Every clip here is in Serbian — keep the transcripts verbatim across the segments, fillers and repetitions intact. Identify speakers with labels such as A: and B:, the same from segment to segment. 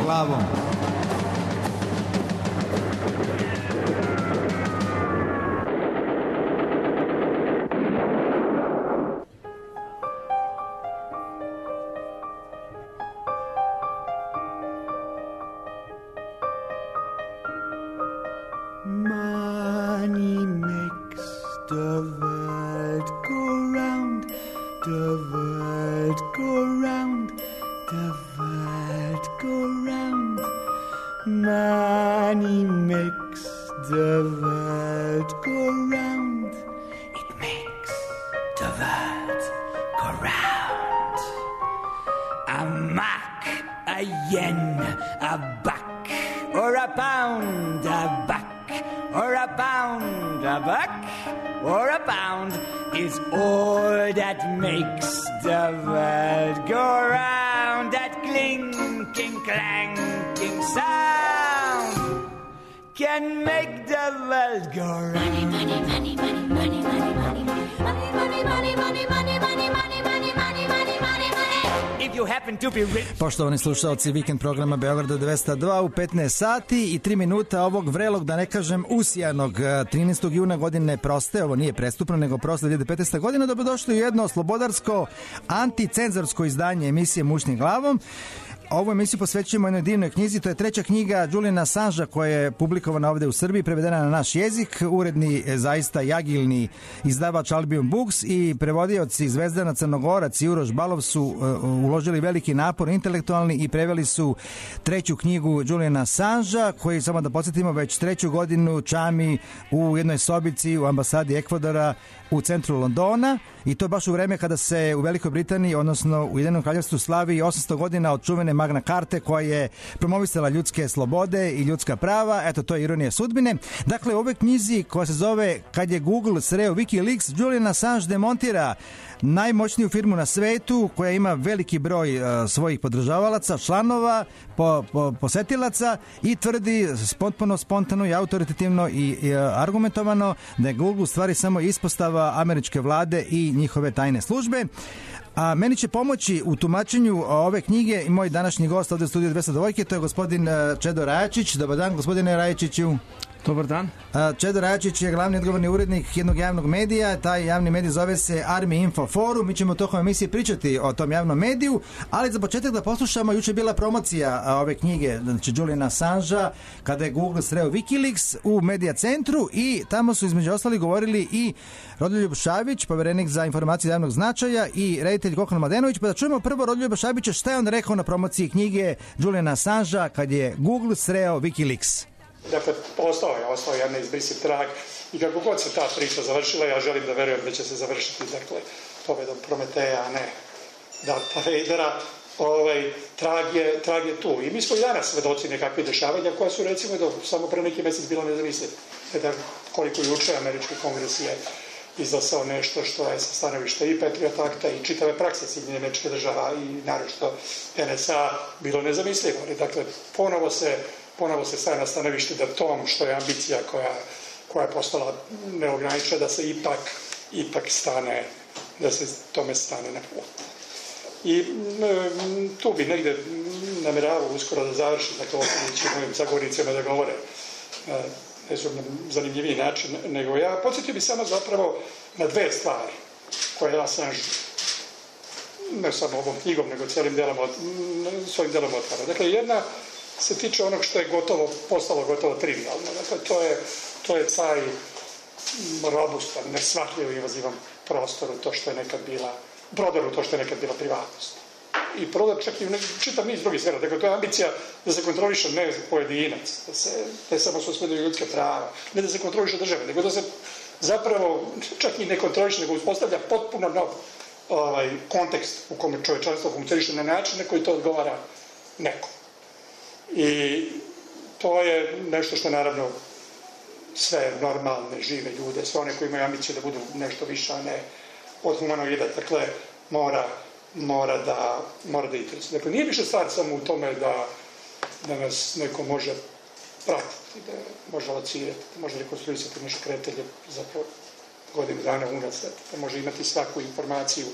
A: glavom.
B: Money makes the world go round, the world go round, the world go round. Money makes the world go round. It makes the world go round. A mark, a yen, a buck, or a pound, a buck. Or a pound, a buck, or a pound is all that makes the world go round. That clinking, clanking sound can make the world go round. Money, money, money, money, money, money, money, money, money, money, money, money, money, money, money, money, money, money, money. If you happen to be rich.
A: Poštovani slušalci vikend programa Beograda dvesta dva u petnaest sati i tri minuta ovog vrelog, da ne kažem usijanog trinaestog juna godine proste, ovo nije prestupno nego proste dve hiljade petnaeste. godina, dobrodošli u jedno slobodarsko anticenzorsko izdanje emisije Mušnim glavom. Ovu emisiju posvećujemo jednoj divnoj knjizi, to je treća knjiga Juliana Assangea koja je publikovana ovde u Srbiji, prevedena na naš jezik, uredni, zaista jagilni izdavač Albion Books i prevodioci Zvezdana Crnogorac i Uroš Balov su uh, uložili veliki napor intelektualni i preveli su treću knjigu Juliana Assangea, koji, samo da podsjetimo, već treću godinu čami u jednoj sobici u ambasadi Ekvadora u centru Londona, i to baš u vreme kada se u Velikoj Britaniji, odnosno u Ujedinjenom Kraljevstvu, slavi osamsto godina od čuvene Magna Carte koja je promovisala ljudske slobode i ljudska prava. Eto, to je ironija sudbine. Dakle, u ovoj knjizi koja se zove Kad je Google sreo Wikileaks, Julian Assange demontira najmoćniju firmu na svetu koja ima veliki broj uh, svojih podržavalaca, članova, po, po, posetilaca, i tvrdi potpuno spontano i autoritativno i, i uh, argumentovano da je Google u stvari samo ispostava američke vlade i njihove tajne službe. A meni će pomoći u tumačenju ove knjige i moj današnji gost ovde u studiju dvesta dva, to je gospodin Čedo Rajačić. Dobar dan, gospodine Rajačiću.
C: Dobar dan.
A: Čedo Rajačić je glavni odgovorni urednik jednog javnog medija. Taj javni medij zove se Army Info Forum. Mi ćemo tokom emisije pričati o tom javnom mediju, ali za početak da poslušamo, juče je bila promocija ove knjige, znači Juliana Assangea, kada je Google sreo Wikileaks u Medija centru, i tamo su između ostalih govorili i Rodoljub Šabić, poverenik za informacije javnog značaja, i reditelj Goran Mladenović. Pa da čujemo prvo Rodoljuba Šabića šta je on rekao na promociji knjige Juliana Assangea kad je Google sreo Wikileaks.
D: Dakle, ostao je, ostao je jedan izbrisiv trag, i kako god se ta priča završila, ja želim da verujem da će se završiti, dakle, pobedom Prometeja, a ne Darta Vadera. Ovaj, trag, je, trag je tu. I mi smo i danas svedoci nekakve dešavanja koja su, recimo, do, samo pre neki mesec bilo nezamislivo. Da koliko juče američki kongres je izglasao nešto što je sa stanovišta i Patriot Akta i čitave prakse Sjedinjenih Američkih Država i naročito N S A bilo nezamislivo. Dakle, ponovo se ponovo se staje na stanovište da tom što je ambicija koja, koja je postala neograničena, da se ipak, ipak stane, da se tome stane na put. I m, tu bi negde nameravao uskoro da završi, dakle, ostavljajući mojim zagovornicima da govore ne su na zanimljiviji način nego ja. Podsjetio bi samo zapravo na dve stvari koje je Assange ne samo ovom knjigom, nego cijelim delom, svojim delom otvara. Dakle, jedna se tiče onog što je gotovo, postalo gotovo trivialno. Dakle, to je, to je taj robustan, nesvatljiv invazivan prostor u to što je nekad bila, prodor u to što je nekad bila privatnost. I prodor čak i u čitav niz drugih sfera. Dakle, to je ambicija da se kontroliše ne pojedinac, da se ne samo suspenduje ljudska prava, ne da se kontroliše države, nego da se zapravo čak i ne kontroliše, nego uspostavlja potpuno nov ovaj, kontekst u kome čovečanstvo funkcioniše na način na koji to odgovara nekom. I to je nešto što naravno sve normalne, žive ljude, sve one koji imaju ambiciju da budu nešto više, a ne od humanoida, dakle, mora, mora da, mora da interesuje. Dakle, nije više stvar samo u tome da, da nas neko može pratiti, da može locirati, da može rekonstruisati naše kretelje za godinu dana unazad, da može imati svaku informaciju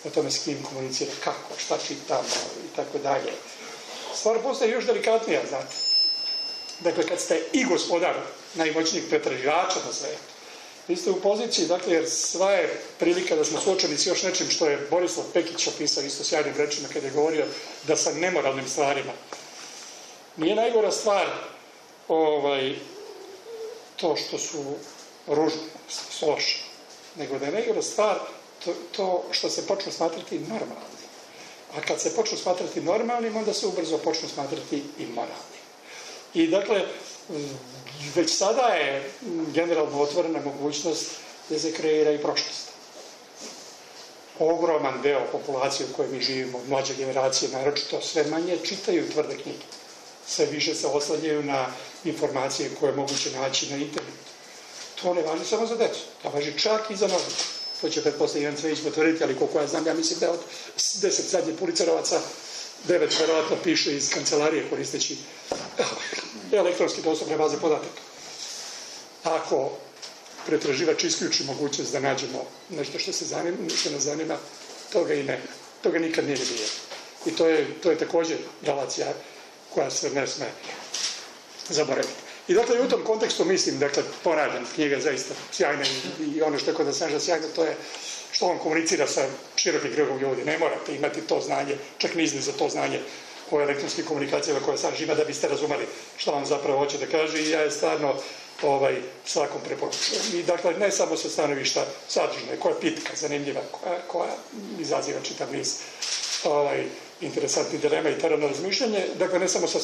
D: o tome s kim komunicira, kako, šta čitamo i tako dalje. stvar postaje još delikatnija, znate. Dakle, kad ste i gospodar najmoćnijih pretraživača na svetu, vi ste u poziciji, dakle, jer sva je prilika da smo suočeni s još nečim što je Borislav Pekić opisao isto sjajnim rečima kada je govorio da sa nemoralnim stvarima. Nije najgora stvar ovaj, to što su ružni, što su loši, nego da je najgora stvar to, to što se počnu smatrati normalnim. A kad se počnu smatrati normalnim, onda se ubrzo počnu smatrati i moralnim. I dakle, već sada je generalno otvorena mogućnost da se kreira i prošlost. Ogroman deo populacije u kojoj mi živimo, mlađe generacije, naročito sve manje čitaju tvrde knjige. Sve više se oslanjaju na informacije koje je moguće naći na internetu. To ne važi samo za decu, to važi čak i za novi. To će pretpostavljati Ivan Cvejić potvrditi, ali koliko ja znam, ja mislim da od deset zadnjih policarovaca devet verovatno piše iz kancelarije koristeći elektronski dostupne baze podataka. Ako pretraživač isključi mogućnost da nađemo nešto što se zanima, što nas zanima, toga i nema. Toga nikad nije bilo. I to je, to je također relacija koja se ne sme zaboraviti. I dakle, u tom kontekstu mislim, dakle, ponavljam, knjiga je zaista sjajna i, i ono što je kod Assange sjajno, to je što on komunicira sa širokim krugom ljudi. Ne morate imati to znanje, čak ni za to znanje o elektronskim komunikacijama koje Assange ima da biste razumeli što vam zapravo hoće da kaže i ja je stvarno ovaj, svakom preporučujem. I dakle, ne samo sa stanovišta sadržine, koja je pitka, zanimljiva, koja, koja izaziva čitav niz ovaj, interesantni dilema i terano razmišljanje, dakle ne samo sa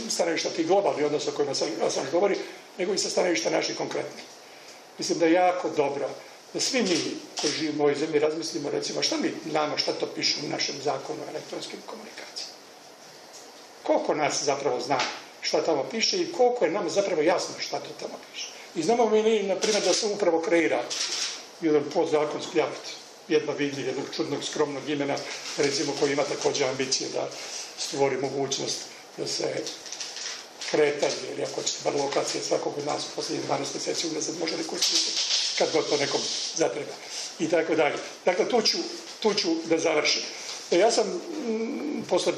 D: stanovišta tih globalnih odnosa o kojima sam govori, nego i sa stanovišta naših konkretnih. Mislim da je jako dobro da svi mi koji živimo u ovoj zemlji razmislimo recimo šta mi nama, šta to piše u našem zakonu o elektronskim komunikacijama. Koliko nas zapravo zna šta tamo piše i koliko je nam zapravo jasno šta to tamo piše. I znamo mi, na primjer, da se upravo kreira jedan podzakonski akt, jedna vidljiv, jednog čudnog, skromnog imena, recimo koji ima također ambicije da stvori mogućnost da se kretanje, ili ako ćete bar lokacije svakog od nas u posljednjih dvanaest mjeseci unazad može rekonstruirati, kad god to nekom zatreba. I tako dalje. Dakle, tu ću, tu ću da završim. Ja sam m, posle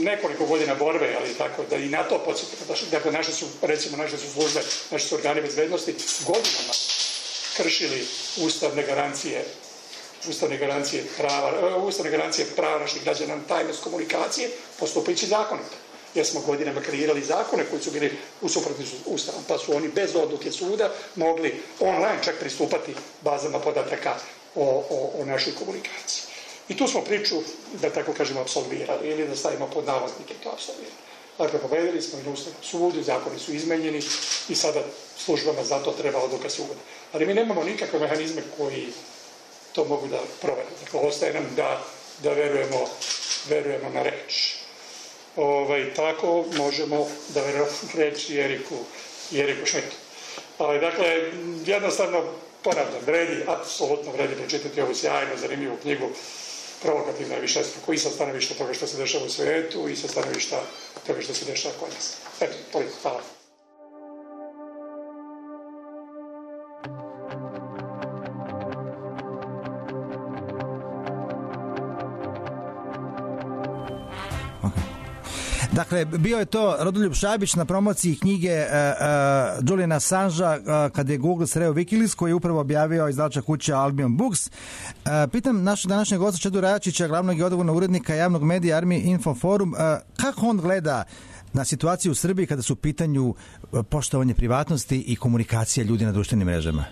D: nekoliko godina borbe, ali tako da i na to podsjetim, dakle, naše su, recimo, naše su službe, naše su organi bezbednosti godinama kršili ustavne garancije ustavne garancije prava, ustavne garancije prava naših građana na tajnost komunikacije, postupajući zakonito. Jer smo godinama kreirali zakone koji su bili u suprotnosti s Ustavom, pa su oni bez odluke suda mogli online čak pristupati bazama podataka o, o, o našoj komunikaciji. I tu smo priču, da tako kažemo, apsolvirali, ili da stavimo pod navodnike to apsolvirali. Dakle, pobedili smo i na Ustavnom sudu, zakoni su izmenjeni i sada službama za to treba odluka suda. Ali mi nemamo nikakve mehanizme koji to mogu da provede. Dakle, ostaje nam da, da verujemo, verujemo na reč. Ovaj, tako možemo da verujemo na reč Jeriku, Jeriku Šmitu. Ali, dakle, jednostavno, ponavljam, vredi, apsolutno vredi pročitati ovu sjajnu, zanimljivu knjigu, provokativna je višestruko i sa stanovišta toga što se dešava u svijetu i sa stanovišta toga što se dešava kod nas. Eto, toliko, hvala.
A: Dakle, bio je to Rodoljub Šabić na promociji knjige uh, uh, Juliana Assangea uh, kad je Google sreo Wikileaks, koji je upravo objavio izdavačka kuća Albion Books. Uh, pitam našeg današnjeg gosta Čedu Rajačića, glavnog i odgovornog urednika javnog medija Army Info Forum, uh, kako on gleda na situaciju u Srbiji kada su u pitanju poštovanje privatnosti i komunikacija ljudi na društvenim mrežama?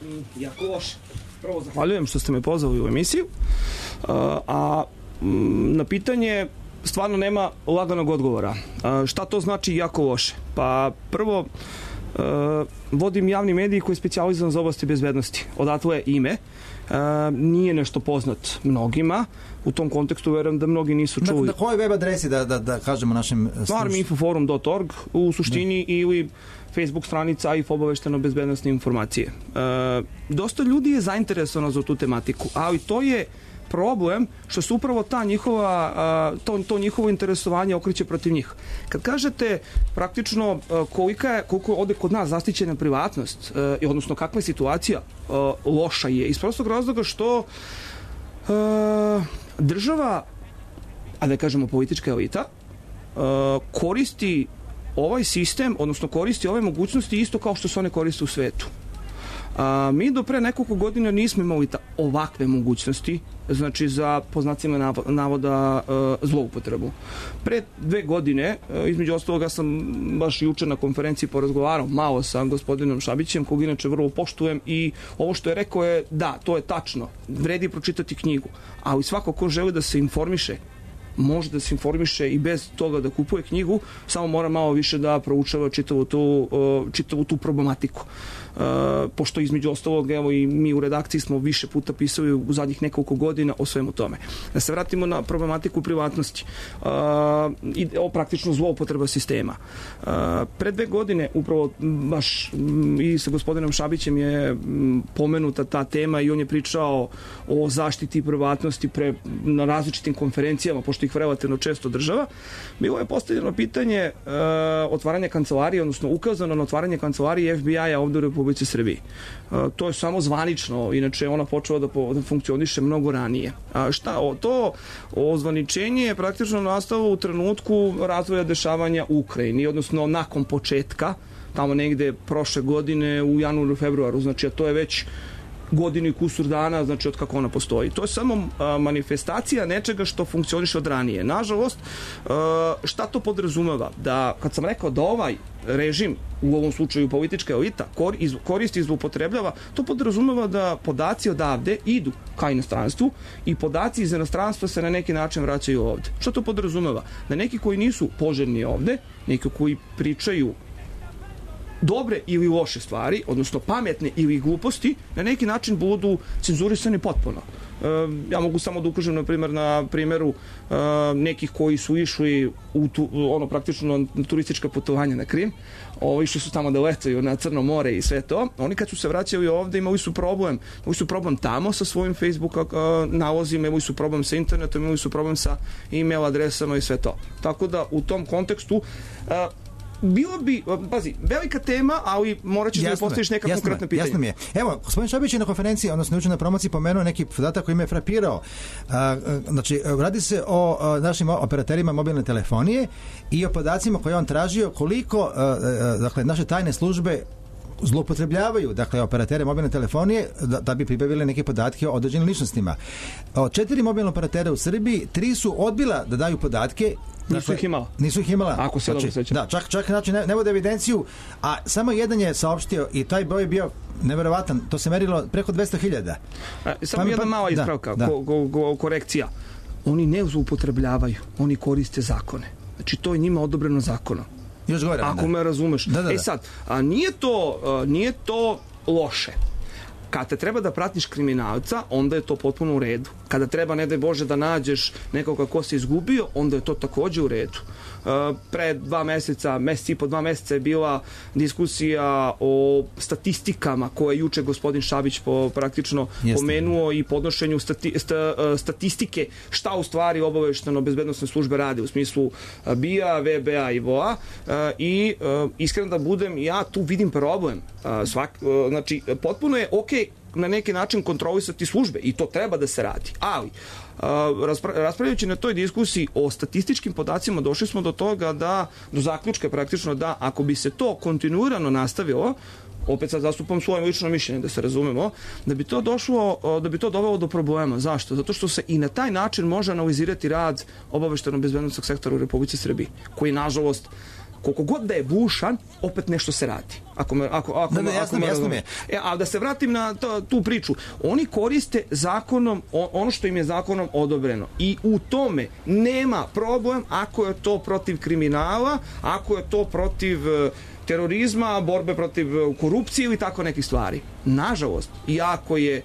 C: Mm, jako loše. Prvo zahvaljujem što ste me pozvali u emisiju. Uh, a mm, na pitanje stvarno nema laganog odgovora. Uh, šta to znači jako loše? Pa prvo, uh, vodim javni medij koji je specijalizovan za oblasti bezbednosti. Odatle je ime. Uh, nije nešto poznat mnogima. U tom kontekstu verujem da mnogi nisu čuli.
A: Na, na kojoj web adresi da, da, da kažemo našim slušateljima? army info forum dot org u suštini da. Ili Facebook stranica i obavešteno bezbednostne informacije. Uh, dosta ljudi je zainteresovano za tu tematiku, ali to je problem što se upravo ta njihova, to, to njihovo interesovanje okreće protiv njih. Kad kažete praktično kolika je, koliko ode kod nas zaštićena privatnost, odnosno kakva je situacija, loša je. Iz prostog razloga što država, a da kažemo politička elita,
C: koristi ovaj sistem, odnosno koristi ove mogućnosti isto kao što se one koriste u svetu. A, mi do pre nekoliko godina nismo imali ta, ovakve mogućnosti, znači za, po znacima navoda, e, zloupotrebu. Pre dve godine, e, između ostaloga sam baš juče na konferenciji porazgovarao malo sa gospodinom Šabićem, kog inače vrlo poštujem, i ovo što je rekao je, da, to je tačno, vredi pročitati knjigu, ali svako ko želi da se informiše, može da se informiše i bez toga da kupuje knjigu, samo mora malo više da proučava čitavu tu, čitavu tu problematiku. Uh, pošto između ostalog, evo i mi u redakciji smo više puta pisali u zadnjih nekoliko godina o svemu tome. Da se vratimo na problematiku privatnosti uh, i o praktično zloupotreba sistema. Uh, pre dve godine upravo baš m, i sa gospodinom Šabićem je m, pomenuta ta tema i on je pričao o zaštiti privatnosti pre, na različitim konferencijama, pošto ih relativno često država. Bilo je postavljeno pitanje uh, otvaranja kancelarije, odnosno ukazano na otvaranje kancelarije F B I-a ovde u Republici Srbiji. Uh, to je samo zvanično, inače ona počela da, po, da funkcioniše mnogo ranije. A šta, o, to ozvaničenje je praktično nastalo u trenutku razvoja dešavanja u Ukrajini, odnosno nakon početka, tamo negde prošle godine u januaru, februaru, znači a to je već godinu i kusur dana, znači od kako ona postoji. To je samo a, manifestacija nečega što funkcioniše od ranije. Nažalost, a, šta to podrazumeva? Da, kad sam rekao da ovaj režim, u ovom slučaju politička elita, kor, iz, koristi i zloupotrebljava, to podrazumeva da podaci odavde idu ka inostranstvu i podaci iz inostranstva se na neki način vraćaju ovde. Šta to podrazumeva? Da neki koji nisu poželjni ovde, neki koji pričaju dobre ili loše stvari, odnosno pametne ili gluposti, na neki način budu cenzurisani potpuno. E, ja mogu samo da ukažem na primjer na primjeru e, nekih koji su išli u tu, ono praktično na turistička putovanja na Krim, o, išli su tamo da letaju na Crno more i sve to. Oni kad su se vraćali ovde imali su problem, imali su problem tamo sa svojim Facebook e, nalozima, imali su problem sa internetom, imali su problem sa e-mail adresama i sve to. Tako da u tom kontekstu e, bilo bi, pazi, velika tema, ali morat ćeš da postaviš neka
A: jasno
C: konkretna pitanja.
A: Jasno mi je. Evo, gospodin Šabić je na konferenciji, odnosno juče na promociji pomenuo neki podatak koji me je frapirao. A, znači, radi se o a, našim operaterima mobilne telefonije i o podacima koje on tražio koliko, a, a, dakle, naše tajne službe zloupotrebljavaju, dakle, operatere mobilne telefonije da, da bi pribavili neke podatke o određenim ličnostima. Od četiri mobilne operatera u Srbiji, tri su odbila da daju podatke.
C: Nisu dakle, ih imala.
A: Nisu ih imala.
C: Ako se dobro sećam.
A: Da, čak, čak znači, ne, ne vode evidenciju, a samo jedan je saopštio i taj broj je bio neverovatan. To se merilo preko dvesta hiljada.
C: Samo pa, jedna pa, mala ispravka, da, ko, ko, ko, korekcija. Oni ne zloupotrebljavaju, oni koriste zakone. Znači, to je njima odobreno zakonom.
A: Još gore,
C: ako
A: da.
C: me razumeš.
A: Da, da, da.
C: E sad, a nije to, a, nije to loše. Kad te treba da pratiš kriminalca, onda je to potpuno u redu. Kada treba, ne daj Bože, da nađeš nekoga ko se izgubio, onda je to takođe u redu. Uh, pre dva meseca, mesec i po dva meseca je bila diskusija o statistikama koje je juče gospodin Šabić po, praktično Jeste. pomenuo i podnošenju stati, sta, statistike šta u stvari obavešteno bezbednosne službe rade u smislu B I A, V B A i V O A uh, i uh, iskreno da budem, ja tu vidim problem. Uh, svak, uh, znači, potpuno je okej okay na neki način kontrolisati službe i to treba da se radi. Ali, uh, raspravljajući na toj diskusiji o statističkim podacima, došli smo do toga da, do zaključka praktično da ako bi se to kontinuirano nastavilo, opet sad zastupam svoje lično mišljenje da se razumemo, da bi to došlo, da bi to dovelo do problema. Zašto? Zato što se i na taj način može analizirati rad obaveštajnog bezbednosnog sektora u Republici Srbiji, koji nažalost koliko god da je bušan, opet nešto se radi. Ako me, ako, ako,
A: da, da, jasno,
C: ako me
A: jasno mi je.
C: E, a da se vratim na to, tu priču. Oni koriste zakonom, ono što im je zakonom odobreno. I u tome nema problem ako je to protiv kriminala, ako je to protiv terorizma, borbe protiv korupcije ili tako nekih stvari. Nažalost, iako je e,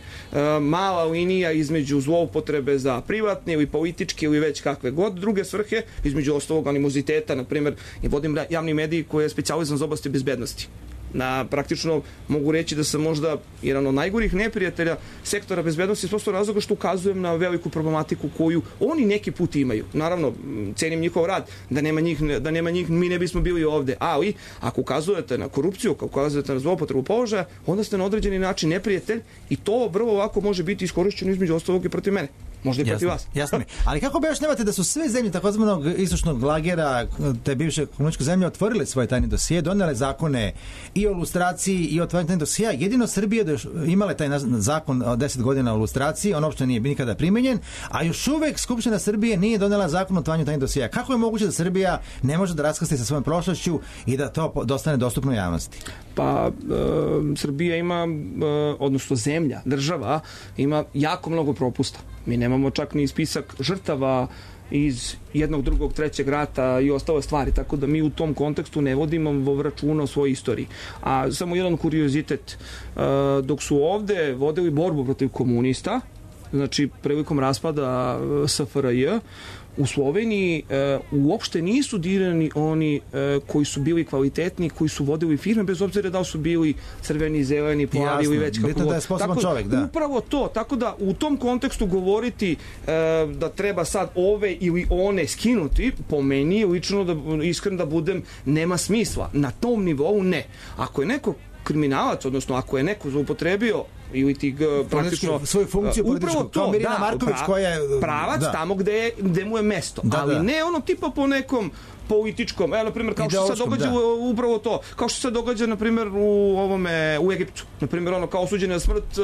C: mala linija između zloupotrebe za privatne ili političke ili već kakve god druge svrhe, između ostalog animoziteta, na primjer, i vodim javni mediji koji je specijalizam za oblasti bezbednosti. Na, praktično mogu reći da sam možda jedan od najgorih neprijatelja sektora bezbednosti s prostog razloga što ukazujem na veliku problematiku koju oni neki put imaju. Naravno, cenim njihov rad, da nema njih, da nema njih mi ne bismo bili ovde, ali ako ukazujete na korupciju, ako ukazujete na zloupotrebu položaja, onda ste na određeni način neprijatelj i to vrlo lako može biti iskorišćeno između ostalog i protiv mene. možda i protiv vas.
A: Jasno mi. Ali kako objašnjavate da su sve zemlje takozvanog istočnog lagera, te bivše komunističke zemlje, otvorile svoje tajne dosije, donele zakone i o lustraciji i o otvaranju tajnih dosija, jedino Srbija da još imale taj zakon od deset godina o lustraciji, on uopšte nije nikada primenjen, a još uvek Skupština Srbije nije donela zakon o otvaranju tajnih dosija. Kako je moguće da Srbija ne može da raskrsti sa svojom prošlošću i da to dostane dostupno javnosti?
C: Pa e, Srbija ima, e, odnosno zemlja, država, ima jako mnogo propusta. Mi nemamo čak ni spisak žrtava iz jednog, drugog, trećeg rata i ostale stvari, tako da mi u tom kontekstu ne vodimo računa o svojoj istoriji. A samo jedan kuriozitet, e, dok su ovde vodili borbu protiv komunista, znači prilikom raspada S F R J, u Sloveniji e, uopšte nisu dirani oni e, koji su bili kvalitetni, koji su vodili firme, bez obzira da li su bili crveni, zeleni, plavi ili već kako god.
A: Da je sposoban čovjek, da.
C: Upravo to, tako da u tom kontekstu govoriti e, da treba sad ove ili one skinuti, po meni lično, da iskren da budem, nema smisla. Na tom nivou ne. Ako je neko kriminalac, odnosno ako je neko zloupotrebio ili ti praktično
A: svoju funkciju
C: upravo to,
A: kao Mirina
C: da,
A: Marković
C: pra,
A: koja je
C: pravac da. tamo gde, je, gde mu je mesto,
A: da,
C: ali
A: da.
C: ne ono tipa po nekom političkom, evo na primjer kao što se sad događa da. upravo to, kao što se događa na primjer u ovome u Egiptu, na primjer ono kao osuđen na smrt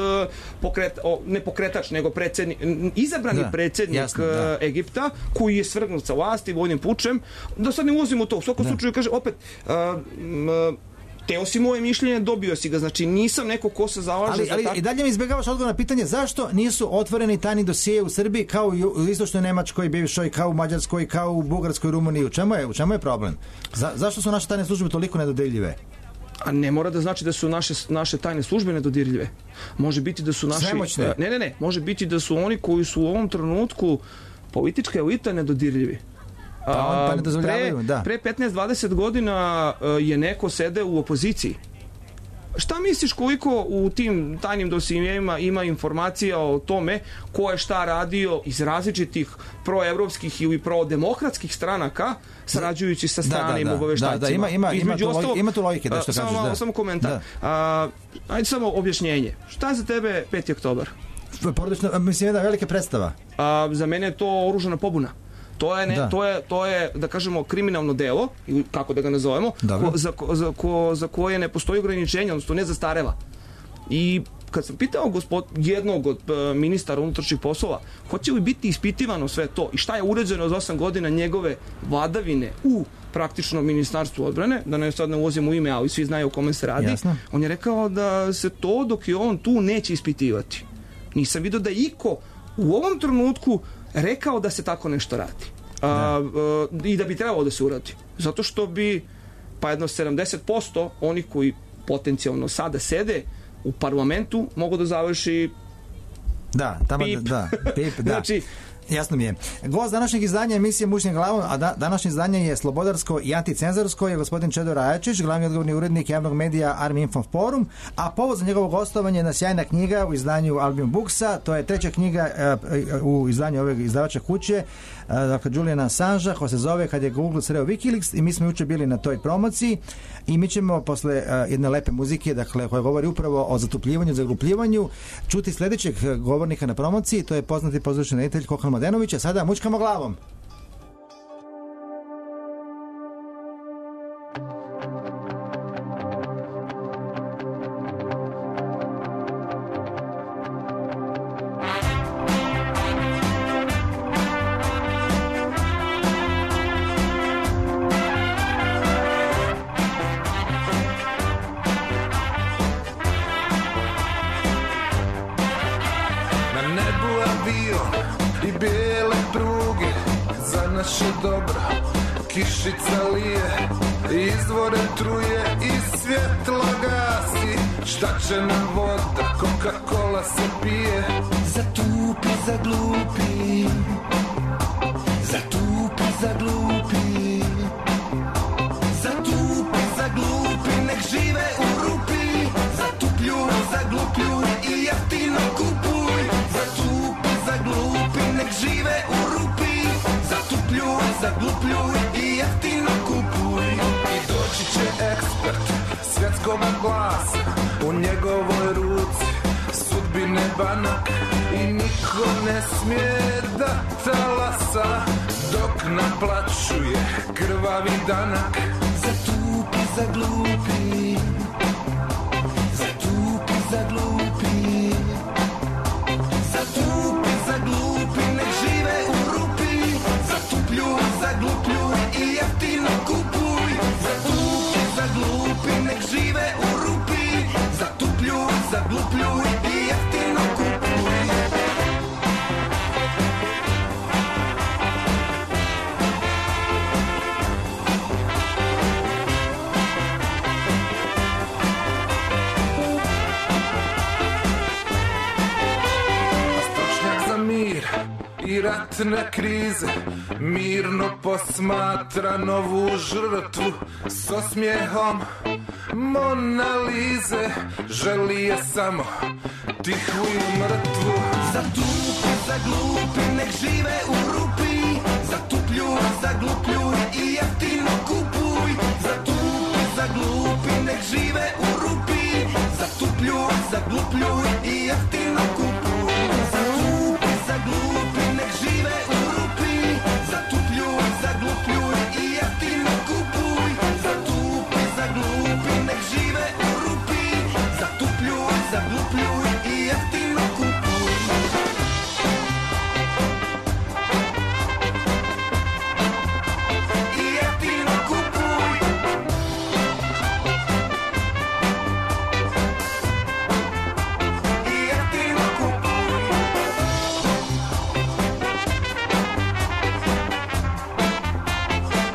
C: pokret, o, ne pokretač nego predsjednik, izabrani da. predsjednik Jasno, da. Egipta koji je svrgnut sa vlasti vojnim pučem, da sad ne ulazimo u to, u svakom da. slučaju kaže opet uh, uh, teo si moje mišljenje, dobio si ga, znači nisam neko ko se zalaže
A: ali,
C: za
A: ali,
C: tako...
A: i dalje mi izbjegavaš odgovor na pitanje zašto nisu otvoreni tajni dosije u Srbiji kao i u istočnoj Nemačkoj, bivšoj, kao u Mađarskoj, kao u Bugarskoj, Rumuniji. U čemu je, u čemu je problem? Za, zašto su naše tajne službe toliko nedodirljive?
C: A ne mora da znači da su naše, naše tajne službe nedodirljive. Može biti da su naši...
A: Svemoćne.
C: Ne, ne, ne. Može biti da su oni koji su u ovom trenutku politička elita nedodirljivi.
A: Pa on pa ne dozvoljavaju,
C: pre,
A: da.
C: Pre petnaest dvadeset godina je neko sede u opoziciji. Šta misliš koliko u tim tajnim dosijejima ima informacija o tome ko je šta radio iz različitih proevropskih ili prodemokratskih stranaka sarađujući sa stranim
A: da, da,
C: obaveštajcima?
A: Da, da, ima, ima, ima, tu,
C: ostalo,
A: ima tu logike da što
C: samo,
A: kažeš. Da.
C: Samo komentar. Da. A, ajde samo objašnjenje. Šta je za tebe peti oktobar?
A: Porodično, mislim, jedna velika predstava.
C: A, za mene je to oružana pobuna. To je, ne, da. to, je, to je, da kažemo, kriminalno delo, ili kako da ga nazovemo, ko, za, za, ko, za koje ne postoji ograničenje, odnosno ne zastareva. I kad sam pitao gospod, jednog od uh, ministara unutrašnjih poslova, hoće li biti ispitivano sve to i šta je urađeno za osam godina njegove vladavine u praktično ministarstvu odbrane, da ne sad ne ulazimo u ime, ali svi znaju o kome se radi, Jasno. On je rekao da se to dok je on tu neće ispitivati. Nisam vidio da iko u ovom trenutku rekao da se tako nešto radi. A, a, i da bi trebalo da se uradi. Zato što bi pa jedno sedamdeset posto onih koji potencijalno sada sede u parlamentu mogu da završi
A: da, tamo
C: pip.
A: Da, pip, da.
C: Znači,
A: jasno mi je. Gost današnjeg izdanja emisije Mušnim glavom, a da, današnje izdanje je slobodarsko i anticenzorsko, je gospodin Čedo Rajačić, glavni odgovorni urednik javnog medija Army Info Forum, a povod za njegovo gostovanje je jedna sjajna knjiga u izdanju Albion Booksa, to je treća knjiga uh, u izdanju ove izdavača kuće, uh, dakle Juliana Assangea, koja se zove Kad je Google sreo Wikileaks, i mi smo juče bili na toj promociji i mi ćemo posle uh, jedne lepe muzike, dakle koja govori upravo o zatupljivanju, zaglupljivanju, čuti sljedećeg govornika na promociji, to je poznati pozorišni reditelj Kokan Mladenović, a sada mučkamo glavom.
E: Kišica lije, izvore truje i svjetlo gasi. Šta će nam voda, Coca-Cola se pije. Zatupi, zaglupi, zatupi, zaglupi, zatupi, zaglupi, nek žive u rupi. Zatupljuj, zaglupljuj i jeftino kupuj. Zatupi, zaglupi, nek žive u rupi. Zatupljuj, zaglupljuj i jeftino kupuj. I doći će ekspert svjetskog glasa, u njegovoj ruci sudbine banak i niko
F: niko ne smije da talasa dok naplaćuje krvavi danak.
E: Zatupi, zaglupi, zatupi, zaglupi, zatupi, zaglupi, nek žive u rupi, zatupljuj, zaglupljuj i jeftino kupuj. Zatupi, zaglupi, nek žive u rupi, zatupljuj, zaglupljuj i jeftino kupuj.
F: I ratne krize mirno posmatra novu žrtvu s osmijehom Mona Lize, želi je samo tihu i mrtvu.
E: Zatupi, zaglupi, nek žive u rupi, zatupljuj, zaglupljuj i jeftino kupuj. Zatupi, zaglupi, nek žive u rupi, zatupljuj, zaglupljuj i jeftino kupuj. Zatupi, zaglupi, nek žive u rupi, zatupljuj, zaglupljuj i jeftino kupuj. Zatupi, zaglupi, nek žive u rupi, zatupljuj, zaglupljuj i jeftino kupuj. I jeftino kupuj. I jeftino kupuj.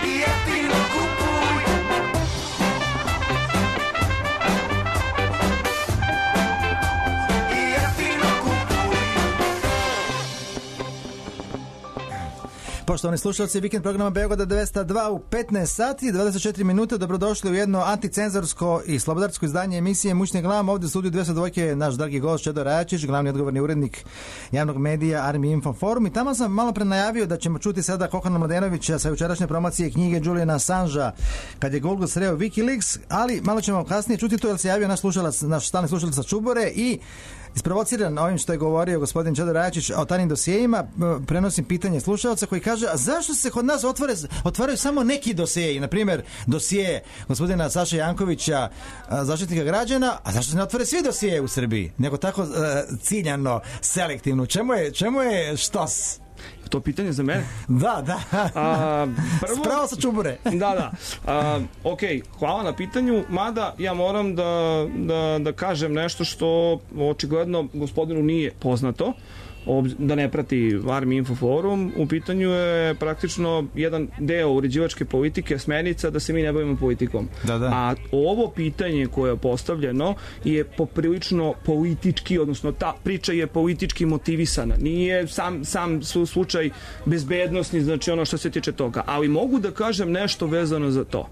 E: I jeftino kupuj. I jeftino kupuj.
A: Poštovani slušalci, vikend programa Beograda dvesta dva u petnaest sati i dvadeset četiri minute. Dobrodošli u jedno anticenzorsko i slobodarsko izdanje emisije Mućni glam. Ovdje u studiju dvesta dva je naš dragi gost Čedo Rajačić, glavni odgovorni urednik javnog medija Army Info Forum. I tamo sam malo pre najavio da ćemo čuti sada Kokana Mladenovića sa jučerašnje promocije knjige Juliana Assangea kad je Google sreo Wikileaks, ali malo ćemo kasnije čuti to jer se javio naš slušalac, naš stalni slušalac sa Čubore i isprovociran ovim što je govorio gospodin Čedo Rajačić o tajnim dosijejima, prenosim pitanje slušalca koji kaže, a zašto se kod nas otvore, otvaraju samo neki dosijeji, na primjer dosije gospodina Saše Jankovića, zaštitnika građana, a zašto se ne otvore svi dosijeji u Srbiji, nego tako uh, ciljano, selektivno, čemu je, čemu je štos?
C: To pitanje za mene?
A: Da, da.
C: A, prvo,
A: spravo sa Čubure.
C: Da, da. A, ok, hvala na pitanju, mada ja moram da, da, da kažem nešto što očigledno gospodinu nije poznato, da ne prati Army Info Forum. U pitanju je praktično jedan deo uređivačke politike, smernica da se mi ne bavimo politikom.
A: Da, da.
C: A ovo pitanje koje je postavljeno je poprilično politički, odnosno ta priča je politički motivisana. Nije sam, sam slučaj bezbednosni, znači ono što se tiče toga. Ali mogu da kažem nešto vezano za to.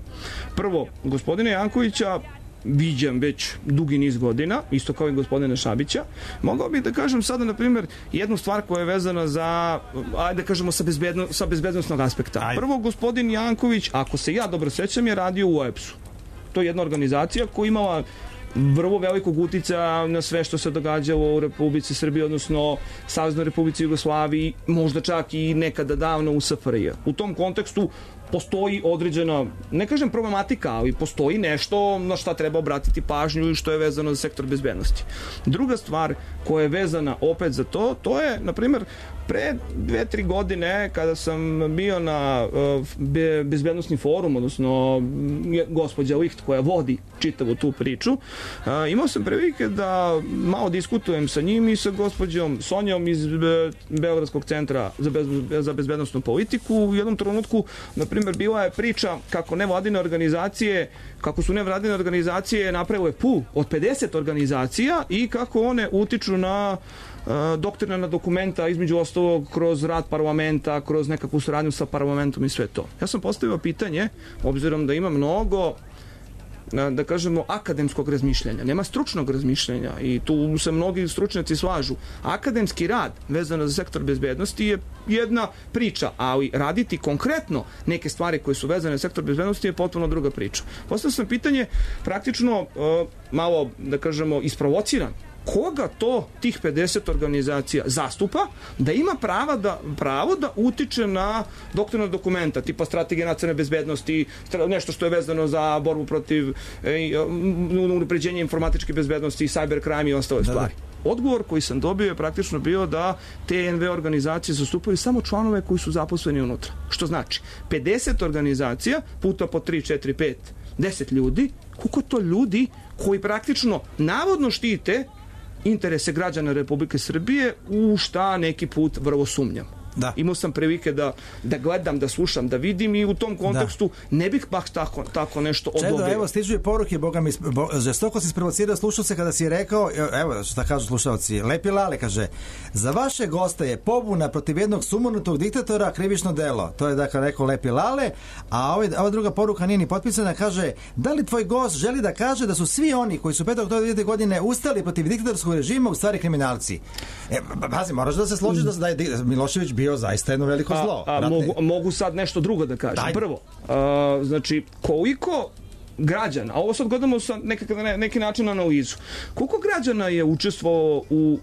C: Prvo, gospodine Jankovića viđam već dugi niz godina, isto kao i gospodina Šabića. Mogao bih da kažem sada, na primjer, jednu stvar koja je vezana za, ajde da kažemo, sa, bezbedno, sa bezbednostnog aspekta. Ajde. Prvo, gospodin Janković, ako se ja dobro sećam, je radio u O E P S-u. To je jedna organizacija koja imala vrlo velikog uticaja na sve što se događalo u Republici Srbiji, odnosno Saveznoj Republici Jugoslaviji, možda čak i nekada davno u S F R J. U tom kontekstu postoji određena, ne kažem problematika, ali postoji nešto na šta treba obratiti pažnju i što je vezano za sektor bezbednosti. Druga stvar koja je vezana opet za to, to je, na primjer, pre dve, tri godine kada sam bio na uh, be, bezbednostni forum, odnosno gospođa Licht koja vodi čitavu tu priču, uh, imao sam prilike da malo diskutujem sa njim i sa gospođom Sonjom iz Be, Beogradskog centra za, bez, za bezbednostnu politiku. U jednom trenutku, na primjer, bila je priča kako nevladine organizacije, kako su nevladine organizacije napravile pul od pedeset organizacija i kako one utiču na doktrinarna dokumenta, između ostalog kroz rad parlamenta, kroz nekakvu suradnju sa parlamentom i sve to. Ja sam postavio pitanje, obzirom da ima mnogo, da kažemo, akademskog razmišljanja, nema stručnog razmišljanja i tu se mnogi stručnjaci slažu. Akademski rad vezano za sektor bezbednosti je jedna priča, ali raditi konkretno neke stvari koje su vezane za sektor bezbednosti je potpuno druga priča. Postavio sam pitanje praktično malo, da kažemo, isprovociran koga to tih pedeset organizacija zastupa, da ima prava da, pravo da utiče na doktorna dokumenta, tipa strategije nacionalne bezbednosti, nešto što je vezano za borbu protiv e, unapređenja informatičke bezbednosti, cybercrime i ostale
A: da,
C: stvari. Da. Odgovor koji sam dobio je praktično bio da te en ve organizacije zastupaju samo članove koji su zaposleni unutra. Što znači, pedeset organizacija puta po tri, četiri, pet, deset ljudi, koliko to ljudi koji praktično navodno štite interese građana Republike Srbije, u šta neki put vrlo sumnjam. Da. Imao sam prilike da, da gledam, da slušam, da vidim i u tom kontekstu da. Ne bih baš tako, tako nešto odobrio.
A: Čedo, evo, stižu je poruke, Boga mi, bo, žestoko si sprovocirao slušalce kada si rekao, evo šta kažu slušalci, Lepi Lale kaže, za vaše goste je pobuna protiv jednog sumonutog diktatora krivično delo. To je dakle rekao Lepi Lale, a ovaj, ova druga poruka nije ni potpisana, kaže, da li tvoj gost želi da kaže da su svi oni koji su petog oktobra dve hiljade godine ustali protiv diktatorskog režima u stvari kriminalci? E, pazi, moraš da se složiš da je Milošević bio zaista jedno veliko zlo.
C: A, a mogu, mogu sad nešto drugo da kažem. Daj. Prvo, a, znači, koliko građana, a ovo sad gledamo sa nekak, ne, neki način analizu, koliko građana je učestvovalo u,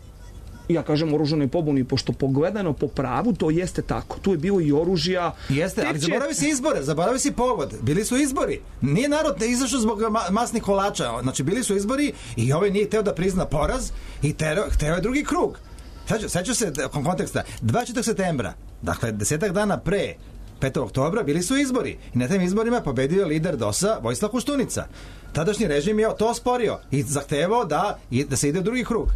C: ja kažem, oružanoj pobuni, pošto pogledano po pravu, to jeste tako. Tu je bilo i oružja.
A: Jeste, ali će... zaboravi si izbore, zaboravi si povod. Bili su izbori. Nije narod ne izašao zbog ma- masnih kolača. Znači, bili su izbori i ovaj nije hteo da prizna poraz i tero, hteo je drugi krug. Sećaš se konteksta, dvadeset četvrtog septembra, dakle desetak dana pre petog oktobra bili su izbori i na tim izborima pobedio lider DOS-a Vojislav Koštunica. Tadašnji režim je to osporio i zahtevao da, da se ide u drugi krug.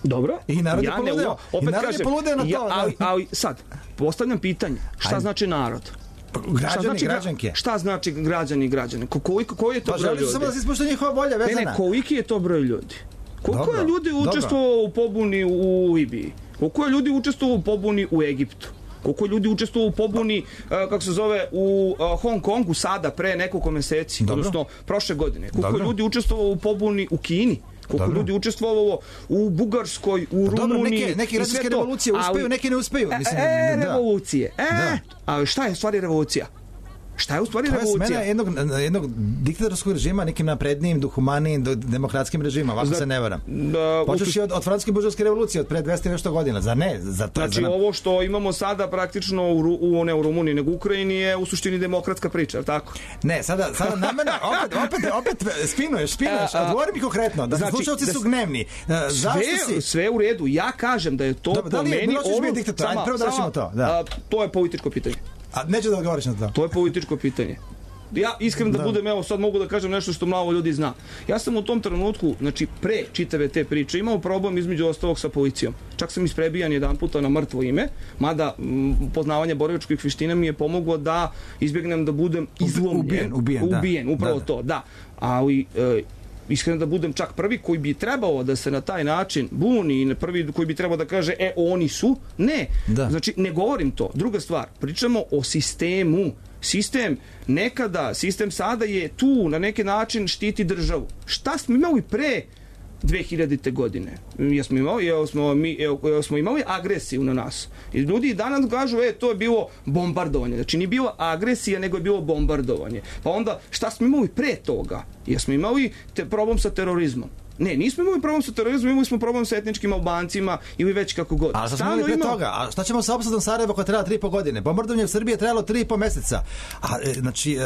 C: Dobro.
A: I narod je ja poludeo.
C: Opet
A: I narod
C: kažem,
A: je poludeo na to.
C: Ja, ali, ali sad, postavljam pitanje, šta Ajde. znači narod?
A: Građani,
C: šta znači,
A: građanke.
C: Šta znači građani i građane? Koliko, koji je to
A: pa,
C: broj ljudi?
A: Samo da se ispoštuje njihova volja vezana.
C: Ne, ne, koliki je to broj ljudi? Koliko
A: dobro,
C: je ljudi učestvovalo u pobuni u Libiji? Koliko je ljudi učestvovalo u pobuni u Egiptu? Koliko je ljudi učestvovalo u pobuni, uh, kako se zove, u uh, Hong Kongu sada, pre nekoliko meseci, dobro. Odnosno prošle godine? Koliko dobro. je ljudi učestvovalo u pobuni u Kini? Koliko dobro. ljudi učestvovalo u Bugarskoj, u
A: dobro,
C: Rumuniji?
A: Neke, neke građanske revolucije uspeju, neke ne uspeju. Mislim,
C: e,
A: da.
C: revolucije. E, da. A šta je u stvari revolucija? Šta je u stvari revolucija?
A: To je smena jednog, jednog diktatorskog režima nekim naprednijim, duhumanijim, demokratskim režimom, ovako Zna, se ne varam. Da, Počeš od, od francuske buržovske revolucije, od pre dvesta i nešto godina, za ne? Za to,
C: znači
A: za nam...
C: ovo što imamo sada praktično u, u, ne u Rumuniji, nego u Ukrajini je u suštini demokratska priča, je tako?
A: Ne, sada, sada na mene, opet, opet, opet spinuješ, spinuješ, odgovori mi konkretno, da znači, slušalci da, su gnevni. Zašto
C: sve,
A: si?
C: Sve u redu, ja kažem da je to
A: Dobre,
C: po
A: da
C: meni...
A: Ono, diktator, sama, prvo da rešimo to. Da.
C: A, to je političko pitanje.
A: A neću da odgovoriš na to.
C: To je političko pitanje. Ja iskreno da, da budem, evo sad mogu da kažem nešto što malo ljudi zna. Ja sam u tom trenutku, znači pre čitave te priče, imao problem između ostalog sa policijom. Čak sam isprebijan jedan puta na mrtvo ime, mada m, poznavanje borilačkih veština mi je pomoglo da izbjegnem da budem izlomljen.
A: Ubijen, ubijen,
C: ubijen
A: da.
C: upravo
A: da, da.
C: to, da. Ali... E, iskreno da budem čak prvi koji bi trebao da se na taj način buni i prvi koji bi trebao da kaže e oni su, ne, da. Znači ne govorim to. Druga stvar, pričamo o sistemu. Sistem nekada, sistem sada je tu na neki način štiti državu. Šta smo imali pre dve hiljadite godine? Jesmo imali, jel smo, mi, jel smo imali agresiju na nas. I ljudi danas kažu, e, to je bilo bombardovanje. Znači, nije bila agresija, nego je bilo bombardovanje. Pa onda, šta smo imali pre toga? Jesmo imali te, problem sa terorizmom? Ne, nismo imali problem sa terorizmom, imali smo problem sa etničkim Albancima ili već kako god.
A: A šta smo imali pre ima... toga? A šta ćemo sa opsadom Sarajeva koja treba tri i po godine? Bombardovanje u Srbiji je trebalo tri i po meseca. A, znači,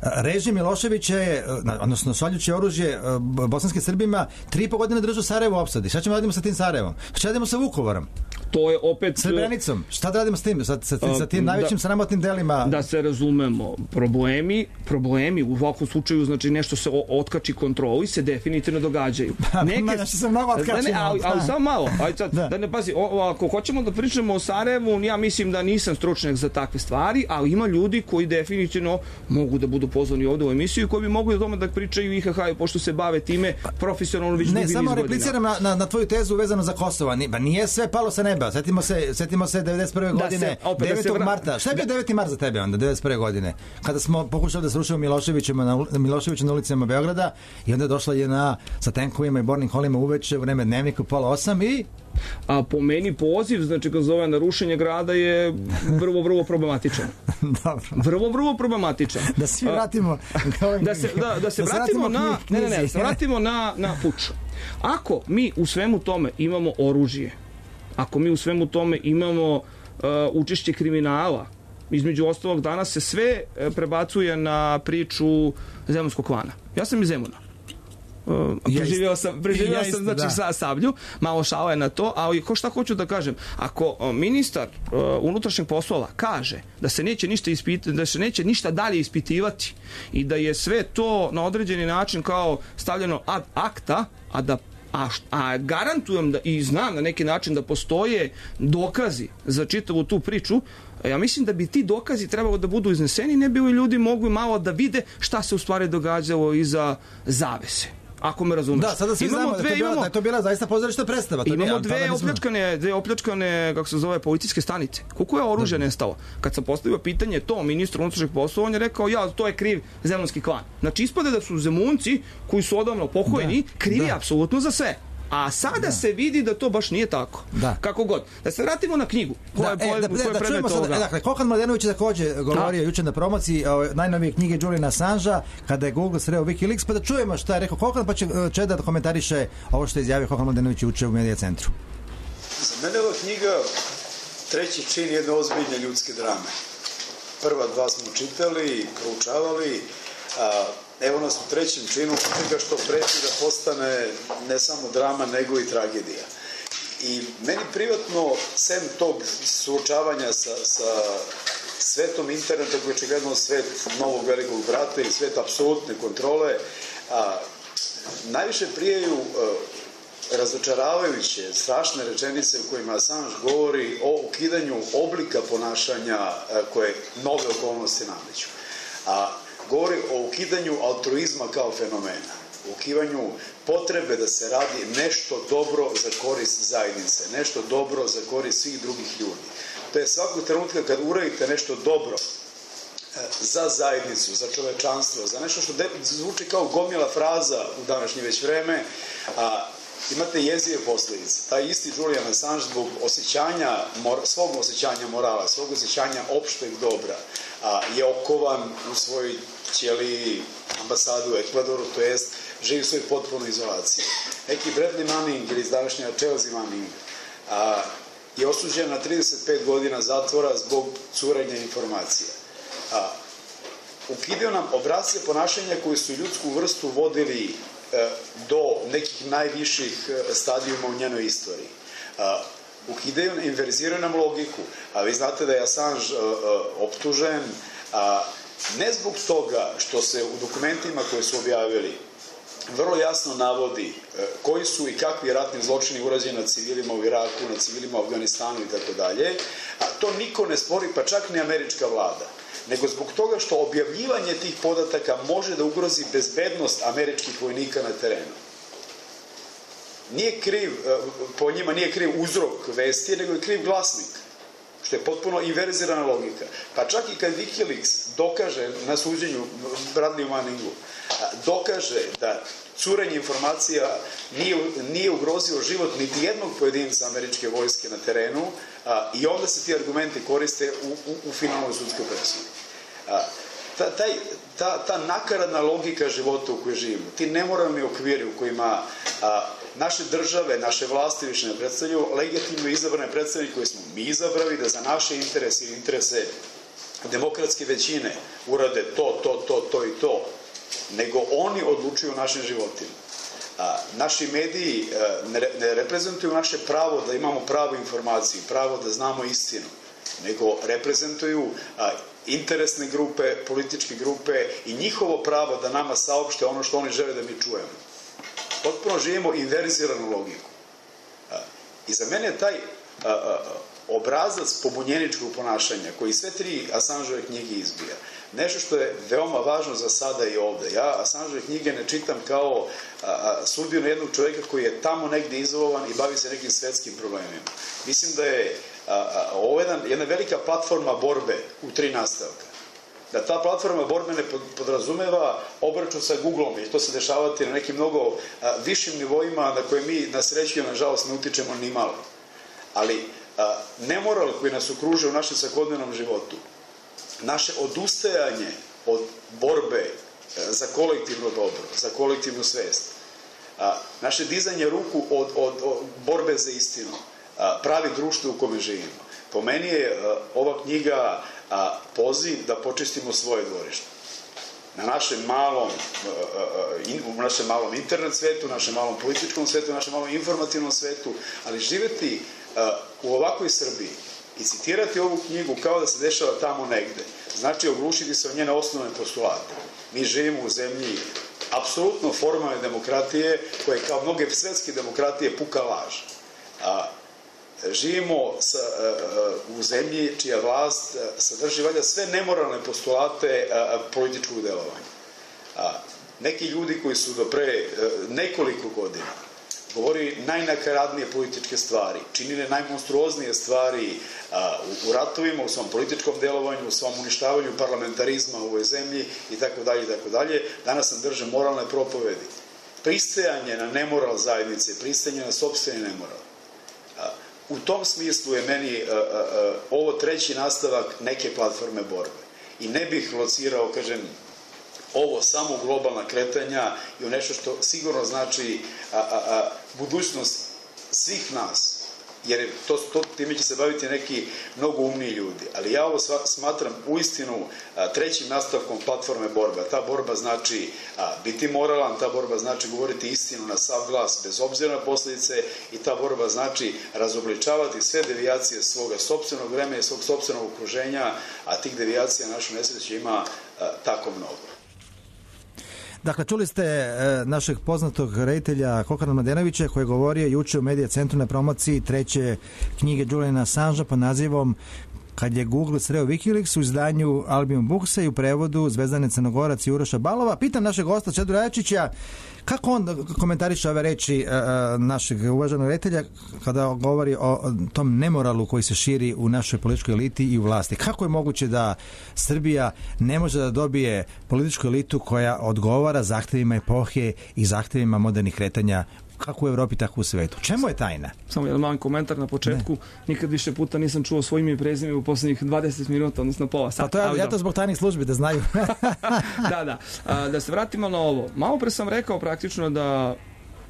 A: režim Miloševića je, odnosno šaljući oružje bosanskim Srbima, tri i po godine držao Sarajevo u opsadi. Šta ćemo radimo sa tim Sarajevom? Šta radimo sa Vukovarom?
C: To je opet...
A: Srebrenicom. Šta da radimo s tim? Sa, sa, sa tim najvećim da, sramotnim delima?
C: Da se razumemo, problemi, problemi u ovakvom slučaju, znači nešto se otkači kontroli, se definitivno događaju.
A: Neke... Znači se mnogo otkačimo.
C: Ali, ali samo malo. Ajde sad, da. da ne pazi, o, ako hoćemo da pričamo o Sarajevu, ja mislim da nisam stručnjak za takve stvari, ali ima ljudi koji definitivno mogu da budu pozvani ovde u emisiju i koji bi mogli o tome da pričaju i ha ha, pošto se bave time profesionalno već dugi niz godina.
A: Ne, samo repliciram na, na, na tvoju tezu vezano za Kosovo. Ba nije sve palo sa neba. treba. Setimo se, setimo se devedeset prve godine,
C: da se,
A: devetog marta. Šta je bio deveti mart za tebe onda, devedeset prve godine? Kada smo pokušali da srušimo Miloševićima na, Miloševića na ulicama Beograda i onda je došla J N A sa tenkovima i bornim kolima uveče, u vreme dnevnika, pola osam i...
C: A po meni poziv, znači kad zove na rušenje grada je vrlo, vrlo problematičan.
A: Dobro.
C: Vrlo, vrlo problematičan.
A: Da se vratimo...
C: da se, da, da se da vratimo na... Ne, ne, ne, da se vratimo na, na puč. Ako mi u svemu tome imamo oružje, ako mi u svemu tome imamo uh, učešće kriminala, između ostalog danas se sve prebacuje na priču zemunskog klana. Ja sam iz Zemuna. Uh, preživio sam, preživio sam znači da. sa Sablju, malo šala je na to, ali ko šta hoću da kažem, ako uh, ministar uh, unutrašnjih poslova kaže da se neće ništa ispit, da se neće ništa dalje ispitivati i da je sve to na određeni način kao stavljeno ad acta, a da A, a garantujem da i znam na neki način da postoje dokazi za čitavu tu priču, ja mislim da bi ti dokazi trebalo da budu izneseni, ne bi li ljudi mogli malo da vide šta se u stvari događalo iza zavese. Ako me razumeš.
A: Da, sada svi znamo da je to bila, da je to bila zaista pozorišta predstava. To
C: imamo
A: bija,
C: dve opljačkane, dve opljačkane, kako se zove, policijske stanice. Koliko je oružja nestalo? Kad sam postavio pitanje to ministru unutrašnjih poslova, on je rekao, ja, to je kriv zemunski klan. Znači, ispade da su zemunci, koji su odavno pokojeni, da, krivi da. apsolutno za sve. A sada da. se vidi da to baš nije tako. Da. Kako god. Da se vratimo na knjigu. Koja
A: da,
C: je,
A: e, da,
C: koja je
A: da,
C: predmet toga.
A: Sada, dakle, Kokan Mladenović je također govorio juče na promociji o najnovije knjige Juliana Assangea, kada je Google sreo Wikileaks, pa da čujemo šta je rekao Kokan, pa će Čeda da komentariše ovo što je izjavio Kokan Mladenović juče u Medija centru.
G: Za mene ova knjiga treći čin jedne ozbiljne ljudske drame. Prva dva smo čitali, proučavali, a evo nas u trećem činu toga što preti da postane ne samo drama, nego i tragedija. I meni privatno, sem tog suočavanja sa, sa svetom interneta, koji je očigledno svet novog velikog brata i svet apsolutne kontrole, a, najviše prijaju a, razočaravajuće, strašne rečenice u kojima Assange govori o ukidanju oblika ponašanja a, koje nove okolnosti nameću. A govori o ukidanju altruizma kao fenomena, o ukidanju potrebe da se radi nešto dobro za korist zajednice, nešto dobro za korist svih drugih ljudi. To je svakog trenutka kad uradite nešto dobro za zajednicu, za čovečanstvo, za nešto što zvuči kao gomila fraza u današnje već vreme, a imate jezive posljedice. Taj isti Julian Assange zbog osjećanja, svog osjećanja morala, svog osjećanja opšteg dobra, a, je okovan u svojoj ćeliji ambasadu u Ekvadoru, to jest živi u svojoj potpunoj izolaciji. Neki Bradley Manning ili iz današnja Chelsea Manning a, je osuđen na trideset pet godina zatvora zbog curenja informacija. A, ukidaju nam obrazce ponašanja koji su ljudsku vrstu vodili do nekih najviših stadijuma u njenoj istoriji. Ukidaju, inverziraju nam logiku, a vi znate da je Assange optužen ne zbog toga što se u dokumentima koje su objavili vrlo jasno navodi koji su i kakvi ratni zločini urađeni na civilima u Iraku, na civilima u Afganistanu i tako dalje, a to niko ne spori, pa čak ni američka vlada, nego zbog toga što objavljivanje tih podataka može da ugrozi bezbednost američkih vojnika na terenu. Nije kriv, po njima nije kriv uzrok vesti, nego je kriv glasnik, što je potpuno inverzirana logika. Pa čak i kad Wikileaks dokaže na suđenju Bradley Manningu, dokaže da curenje informacija nije, nije ugrozio život niti jednog pojedinca američke vojske na terenu, a, i onda se ti argumenti koriste u, u, u finalnoj sudskoj presudi. Ta, taj, ta, ta nakaradna logika života u kojoj živimo, ti nemoralni okviri u kojima a, naše države, naše vlasti više ne predstavljaju legitimno izabrane predstavnike koje smo mi izabrali da za naše interese ili interese demokratske većine urade to, to, to, to i to, nego oni odlučuju o našim životima. A, naši mediji a, ne, ne reprezentuju naše pravo da imamo pravu informaciju, pravo da znamo istinu, nego reprezentuju a, interesne grupe, političke grupe i njihovo pravo da nama saopšte ono što oni žele da mi čujemo. Potpuno živimo inverziranu logiku. A, I za mene taj a, a, obrazac pobunjeničkog ponašanja, koji sve tri Assangeove knjige izbija, nešto što je veoma važno za sada i ovde. Ja Assangeove knjige ne čitam kao a, a, sudbinu jednog čovjeka koji je tamo negde izolovan i bavi se nekim svetskim problemima. Mislim da je a, a, ovo jedan, jedna velika platforma borbe u tri nastavka. Da ta platforma borbe ne podrazumeva obračun sa Googlom, i to se dešavati na nekim mnogo a, višim nivoima na koje mi na sreću i nažalost ne utičemo ni malo. Ali a, nemoral koji nas okružuje u našem svakodnevnom životu, naše odustajanje od borbe za kolektivno dobro, za kolektivnu svest, a, naše dizanje ruku od, od, od borbe za istinu, a, pravi društvo u kome živimo. Po meni je a, ova knjiga a, poziv da počistimo svoje dvorište. Na našem malom, u našem malom internet svetu, u našem malom političkom svetu, u našem malom informativnom svetu, ali živeti u ovakvoj Srbiji i citirati ovu knjigu kao da se dešava tamo negde, znači oglušiti se o njene osnovne postulate. Mi živimo u zemlji apsolutno formalne demokratije, koje kao mnoge svetske demokratije puka laž. A, živimo sa, u zemlji čija vlast sadrži valjda sve nemoralne postulate političkog delovanja. A, neki ljudi koji su do pre nekoliko godina govori najnakaradnije političke stvari, činile najmonstruoznije stvari a, u, u ratovima, u svom političkom delovanju, u svom uništavanju parlamentarizma u ovoj zemlji i tako dalje i tako dalje. Danas nam drže moralne propovedi. Pristajanje na nemoral zajednice, pristajanje na sopstveni nemoral. A, u tom smislu je meni a, a, a, ovo treći nastavak neke platforme borbe. I ne bih locirao, kažem, ovo samo globalna kretanja i u nešto što sigurno znači a, a, a, budućnost svih nas, jer to, to, time će se baviti neki mnogo umniji ljudi. Ali ja ovo smatram uistinu a, trećim nastavkom platforme borbe. Ta borba znači a, biti moralan, ta borba znači govoriti istinu na sav glas bez obzira na posljedice i ta borba znači razobličavati sve devijacije svoga sopstvenog vremena i svog sopstvenog okruženja, a tih devijacija našu nesreću ima a, tako mnogo.
A: Dakle, čuli ste e, našeg poznatog reditelja Kokana Mladenovića koji je govorio juče u Medija centru na promociji treće knjige Juliana Assangea pod nazivom Kad je Google sreo Wikileaks u izdanju Albion Booksa i u prevodu Zvezdane Crnogorac i Uroša Balova. Pitam našeg gosta Čedu Rajačića kako on komentariše ove reči e, našeg uvaženog reditelja kada govori o tom nemoralu koji se širi u našoj političkoj eliti i u vlasti. Kako je moguće da Srbija ne može da dobije političku elitu koja odgovara zahtevima epohe i zahtevima modernih kretanja kako u Evropi, tako u svetu? Čemu je tajna?
C: Samo jedan mali komentar na početku. Ne. Nikad više puta nisam čuo svoj ime i prezime u poslednjih dvadeset minuta, odnosno pola sata.
A: Pa to je, ja to zbog tajnih službi, da znaju.
C: da, da. A, da se vratimo na ovo. Malo pre sam rekao praktično da,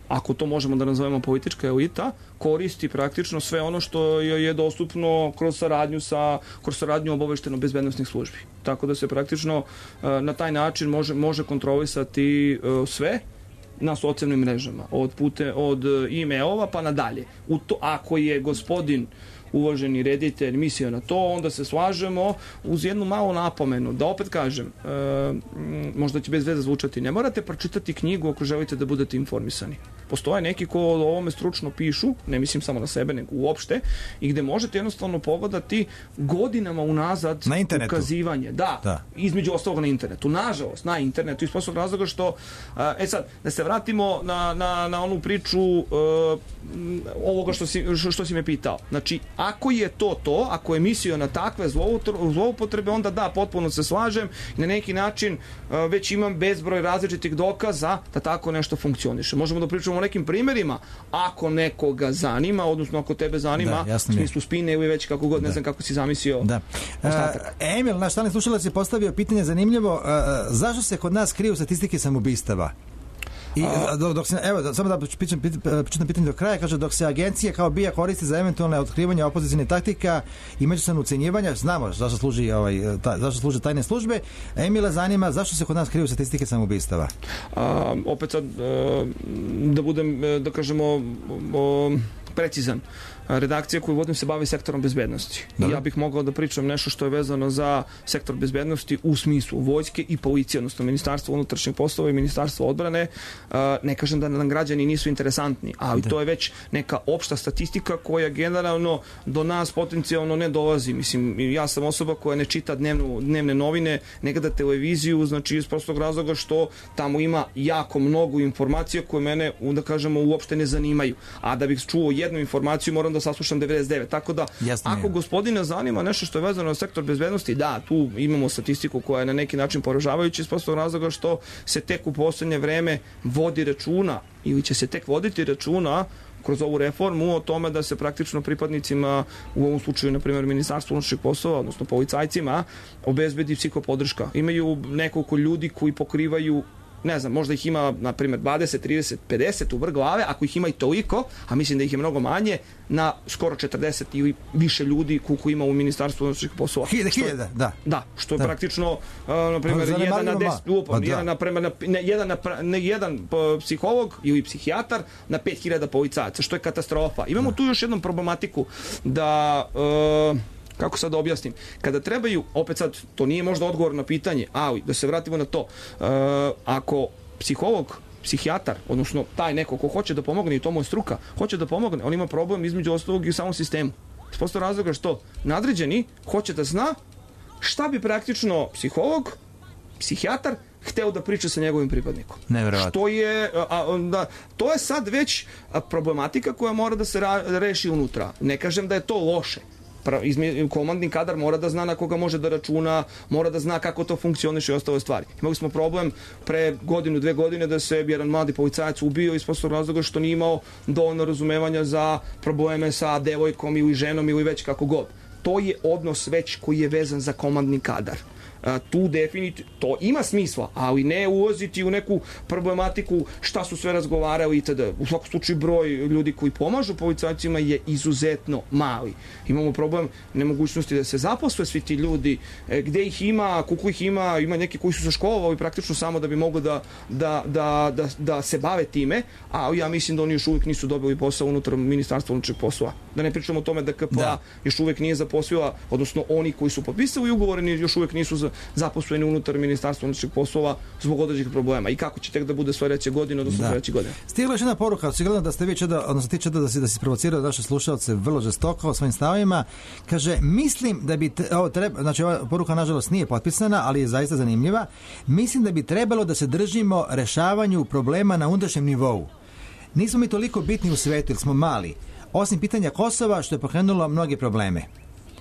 C: ako to možemo da nazovemo politička elita, koristi praktično sve ono što je dostupno kroz saradnju sa kroz saradnju obavešteno-bezbednosnih službi. Tako da se praktično na taj način može, može kontrolisati sve na socijalnim mrežama, od pute, od e-mailova pa nadalje. U to, ako je gospodin uvaženi reditelj mislio na to, onda se slažemo uz jednu malu napomenu, da opet kažem, e, možda će bez veze zvučati, ne morate pročitati knjigu ako želite da budete informisani. Postoje neki ko o ovome stručno pišu, ne mislim samo na sebe, nego uopšte, i gde možete jednostavno pogledati godinama unazad
A: na internetu.
C: Ukazivanje. Da, da, između ostalog na internetu. Nažalost, na internetu, iz prostog razloga što, e sad, da se vratimo na, na, na onu priču e, ovoga što si, što si me pitao. Znači, ako je to to, ako je mislio na takve zloupotrebe, onda da, potpuno se slažem i na neki način već imam bezbroj različitih dokaza da tako nešto funkcioniše. Možemo da pričamo o nekim primjerima, ako nekoga zanima, odnosno ako tebe zanima, da, u smislu spine ili već kako god, ne da. znam kako si zamislio.
A: Da. Uh, Emil, naš stalni slušalac je postavio pitanje zanimljivo, uh, zašto se kod nas kriju statistike samoubistava? I dok, dok se, evo, samo da pičem pitanje do kraja, kaže, dok se agencije kao B I A koristi za eventualne otkrivanje opozicijne taktika i međusobno ucenjivanja, znamo zašto služi ovaj, ta, zašto služe tajne službe. Emila zanima zašto se kod nas kriju statistike samoubistava?
C: A, opet sad, da budem, da kažemo, o, precizan. redakcija koju vodim se bavi sektorom bezbednosti. I ja bih mogao da pričam nešto što je vezano za sektor bezbednosti u smislu vojske i policije, odnosno Ministarstvo unutrašnjih poslova i Ministarstvo odbrane. Ne kažem da nam građani nisu interesantni, ali to je već neka opšta statistika koja generalno do nas potencijalno ne dolazi. Mislim, ja sam osoba koja ne čita dnevnu, dnevne novine, ne gleda televiziju, znači iz prostog razloga što tamo ima jako mnogo informacija koje mene, da kažemo, uopšte ne zanimaju. A da bih čuo jednu informaciju moram da saslušam devedeset devet. Tako da, Jasne, ako gospodina zanima nešto što je vezano na sektor bezbednosti, da, tu imamo statistiku koja je na neki način poražavajuća iz prostog razloga što se tek u poslednje vreme vodi računa ili će se tek voditi računa kroz ovu reformu o tome da se praktično pripadnicima, u ovom slučaju, na primjer, Ministarstvo unutrašnjih poslova, odnosno policajcima, obezbedi psihopodrška. Imaju nekoliko ljudi koji pokrivaju, ne znam, možda ih ima, na primjer, dvadeset, trideset, pedeset u vrh glave, ako ih ima i toliko, a mislim da ih je mnogo manje, na skoro četrdeset ili više ljudi koliko ima u Ministarstvu unutrašnjih poslova.
A: Hiljada, hiljada, da.
C: Da, što je da. praktično, uh, na primjer, jedan na deset, upam, da. jedan, na, na, ne, jedan, na, ne, jedan psiholog ili psihijatar na pet hiljada policajaca, što je katastrofa. Imamo da. tu još jednu problematiku da... Uh, kako sad da objasnim, kada trebaju, opet sad, to nije možda odgovor na pitanje, ali da se vratimo na to, uh, ako psiholog, psihijatar, odnosno taj neko ko hoće da pomogne, i to mu je struka, hoće da pomogne, on ima problem između ostalog i u samom sistemu. S posto razloga što nadređeni hoće da zna šta bi praktično psiholog, psihijatar hteo da priča sa njegovim pripadnikom.
A: Neverovatno.
C: Što je, a, da, to je sad već problematika koja mora da se ra, reši unutra. Ne kažem da je to loše. Komandni kadar mora da zna na koga može da računa, mora da zna kako to funkcioniše i ostale stvari. Imali smo problem pre godinu, dve godine da se jedan mladi policajac ubio iz prostog razloga što nije imao dovoljno razumevanja za probleme sa devojkom ili ženom ili već kako god. To je odnos već koji je vezan za komandni kadar. Tu definitivno, to ima smisla, ali ne ulaziti u neku problematiku šta su sve razgovarali itd. U svakom slučaju broj ljudi koji pomažu policajcima je izuzetno mali. Imamo problem nemogućnosti da se zaposle svi ti ljudi, gde ih ima, koliko ih ima, ima neki koji su se školovali praktično samo da bi mogli da, da, da, da, da se bave time, a ja mislim da oni još uvijek nisu dobili posao unutar Ministarstva unutrašnjih poslova. Da ne pričamo o tome da K P A da. još uvijek nije zaposlila, odnosno oni koji su potpisali ugovore još uvijek nisu za zaposleni unutar Ministarstva unutrašnjih poslova zbog određenih problema. I kako će tek da bude sledeće godine, odnosno da. sledeće godine?
A: Stigla još jedna poruka, očigledno da ste vi čeda, odnosno ti čeda da si da si provocirao naše slušalce vrlo žestoko svojim stavima. Kaže, mislim da bi te, ovo treba, znači ova poruka nažalost nije potpisana, ali je zaista zanimljiva. Mislim da bi trebalo da se držimo rešavanju problema na unutrašnjem nivou. Nismo mi toliko bitni u svetu, jer smo mali. Osim pitanja Kosova, što je pokrenulo mnoge probleme.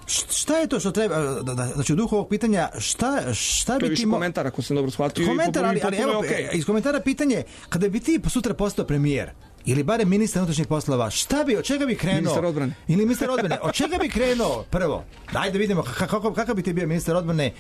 A: Šta je to što treba, znači u duhu ovog pitanja, šta, šta bi ti... To je više
C: komentar, ako sam dobro shvatio.
A: Komentar, ali, ali evo, okay. iz komentara pitanje, kada bi ti sutra postao premijer, ili barem ministar unutrašnjih poslova, šta bi, od čega bi krenuo?
C: Ministar odbrane.
A: Ili ministar odbrane, od čega bi krenuo prvo? Daj da vidimo kako, kakav bi ti bio ministar odbrane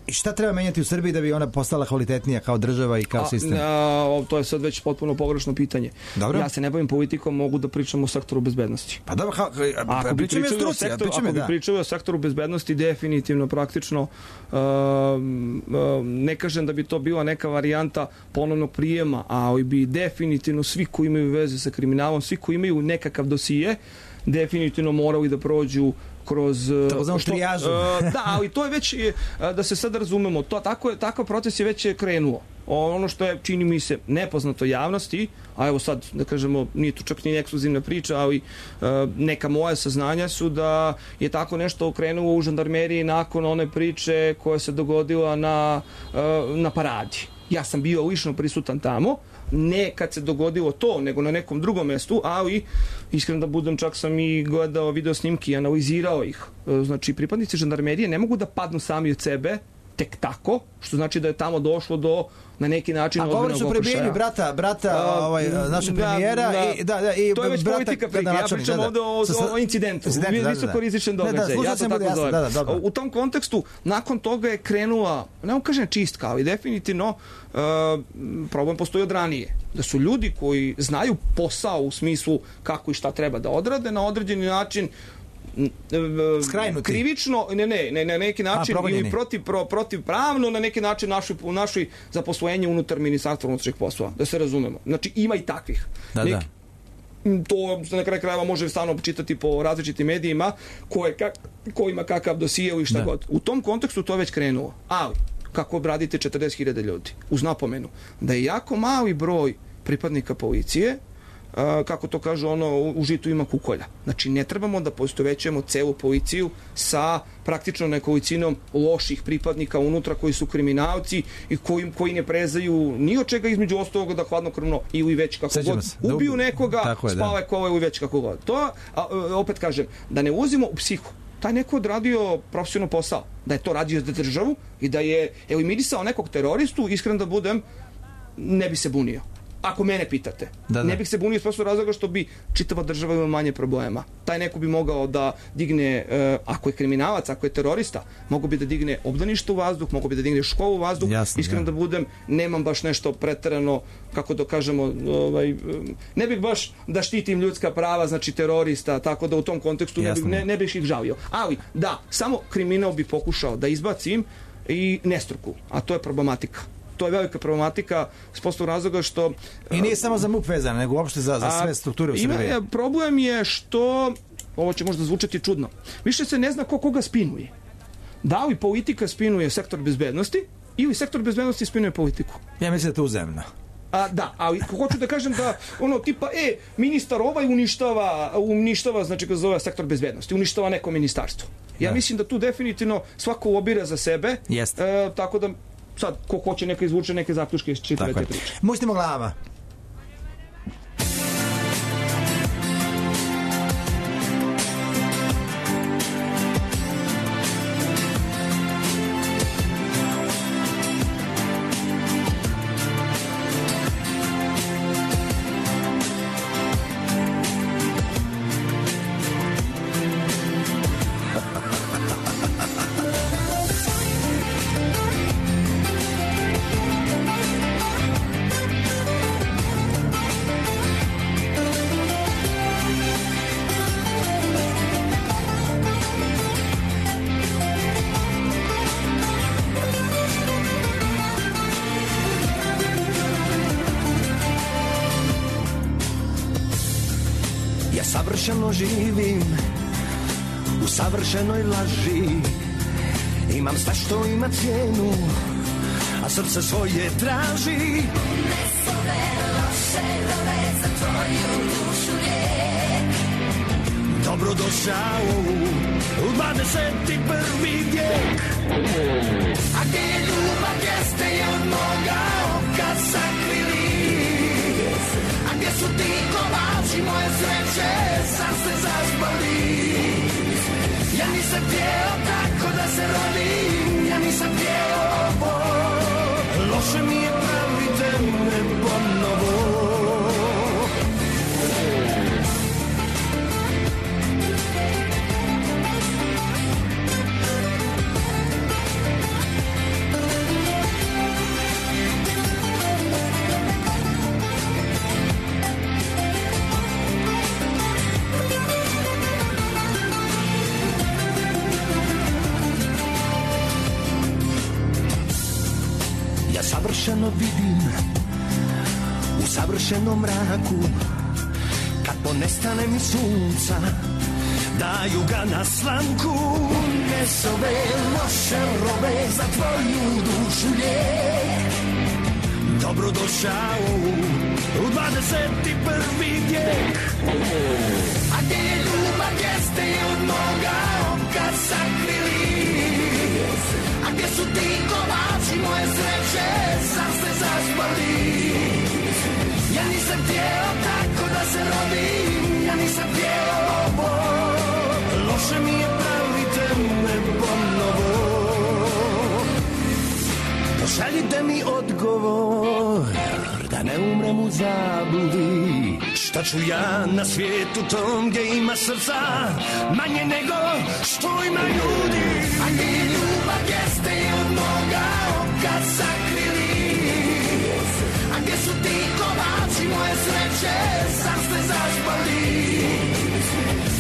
A: i šta treba menjati u Srbiji da bi ona postala kvalitetnija kao država i kao
C: a,
A: sistem?
C: A, to je sad već potpuno pogrešno pitanje.
A: Dobro.
C: Ja se ne bavim politikom, mogu da pričam o sektoru bezbednosti.
A: Pa dobro, ha,
C: ako bi pričali o sektoru, ako bi
A: da.
C: pričali o sektoru bezbednosti, definitivno, praktično, uh, uh, ne kažem da bi to bila neka varijanta ponovnog prijema, ali bi definitivno svi koji imaju veze sa kriminalom, svi koji imaju nekakav dosije, definitivno morali da prođu kroz
A: to trijažu.
C: Da, ali to je već, da se sad razumemo, to, tako je, takav proces je već krenuo. Ono što je, čini mi se, nepoznato javnosti, a evo sad, da kažemo, nije to čak ni ekskluzivna priča, ali neka moja saznanja su da je tako nešto krenulo u žandarmeriji nakon one priče koja se dogodila na, na paradi. Ja sam bio lično prisutan tamo, ne kad se dogodilo to, nego na nekom drugom mestu, ali iskreno da budem, čak sam i gledao video snimki i analizirao ih. Znači, pripadnici žandarmerije ne mogu da padnu sami od sebe tek tako, što znači da je tamo došlo do na neki način
A: ozbiljnog okršaja. A govoriš o prebijenju brata, brata ovaj, našeg premijera
C: da,
A: i, da, da, i
C: to je već
A: brata,
C: politika prike. Ja pričam ovde o, o incidentu,
A: da,
C: visoko rizičan događaj. Ja to tako zovem. Da, da, u tom kontekstu, nakon toga je krenula, ne vam kažem čistka, ali definitivno uh, problem postoji od ranije. Da su ljudi koji znaju posao u smislu kako i šta treba da odrade, na određeni način
A: Skrajnuti.
C: krivično, ne, ne, ne, na neki način
A: A,
C: ili protiv, pro, protiv pravno na neki način našoj, u našoj zaposlenje unutar Ministarstva unutrašnjih poslova, da se razumemo. Znači ima i takvih.
A: Da,
C: neki,
A: da.
C: to se na kraju krajeva može stalno čitati po različitim medijima ko, je, kak, ko ima kakav dosije i šta da. god. U tom kontekstu to je već krenulo. Ali, kako obradite četrdeset hiljada ljudi? Uz napomenu da je jako mali broj pripadnika policije, kako to kažu, ono, u žitu ima kukolja. Znači, ne trebamo da poistovećujemo celu policiju sa praktično nekolicinom loših pripadnika unutra koji su kriminalci i koji, koji ne prezaju ni od čega između ostalog da hladnokrvno ili već kako Sećamo god se. ubiju nekoga, je, spale da. kola ili već kako god. To, a, opet kažem, da ne ulazimo u psihu. Taj neko odradio profesionalno posao, da je to radio za državu i da je eliminisao nekog teroristu, iskren da budem, ne bi se bunio. Ako mene pitate. Da, da. Ne bih se bunio s prostog razloga što bi čitava država imala manje problema. Taj neko bi mogao da digne, uh, ako je kriminalac, ako je terorista, mogo bi da digne obdanište u vazduh, mogo bi da digne školu u vazduh. Jasno, iskreno ja. da budem, nemam baš nešto preterano, kako da kažemo, ovaj, ne bih baš da štitim ljudska prava, znači terorista, tako da u tom kontekstu ne bih, ne, ne bih ih žalio. Ali, da, samo kriminal bi pokušao da izbacim i nestruku, a to je problematika. To je velika problematika s prostog razloga što...
A: I nije samo za MUP vezano, nego uopšte za, za sve strukture u Srbiji.
C: Ima, problem je što, ovo će možda zvučati čudno, više se ne zna ko koga spinuje. Da li politika spinuje sektor bezbednosti ili sektor bezbednosti spinuje politiku?
A: Ja mislim da je to uzemno.
C: A, da, ali hoću da kažem da ono tipa, e, ministar ovaj uništava, uništava, znači ga zove sektor bezbednosti, uništava neko ministarstvo. Ja da. mislim da tu definitivno svako lobira za sebe, e, tako da sad, ko hoće neka izvuče neke zaključke iz čitave te priče.
A: Muštimo glava.
E: Savršeno živim u savršenoj laži. Imam sve što ima cijenu, a srce svoje traži. Ne zove loše rove za tvoju dušu lijek. Dobrodošao u dvadeset prvi vijek. A gdje je ljubav, gdje ste je od moga oka sakrili? A gdje su ti kolači moje sreće, sam se zaspali. Ja nisam htjeo tako da se rodim, ja nisam htjeo ovo. Loše mi je, pravite me ponovo. Savršeno vidim u savršenom mraku, kad ponestane mi sunca, daju ga na slamku. Ne zove loše rove za tvoju dušu lijek. Dobrodošao u dvadeset prvi vijek. A gdje je ljubav, gdje ste je od moga oka sakrili? A gdje su ti kolači moje sreće, sam se zaspali. Ja nisam htjeo tako da se rodim, ja nisam htjeo ovo. Loše mi je, pravite me ponovo. Pošaljite mi odgovor, da ne umrem u zabludi. Šta ću ja na svijetu tom gdje ima srca manje nego što ima ljudi? A gdje je ljubav, gdje ste je od moga oka sakrili? A gdje su ti kolači moje sreće, sam ste zaspali.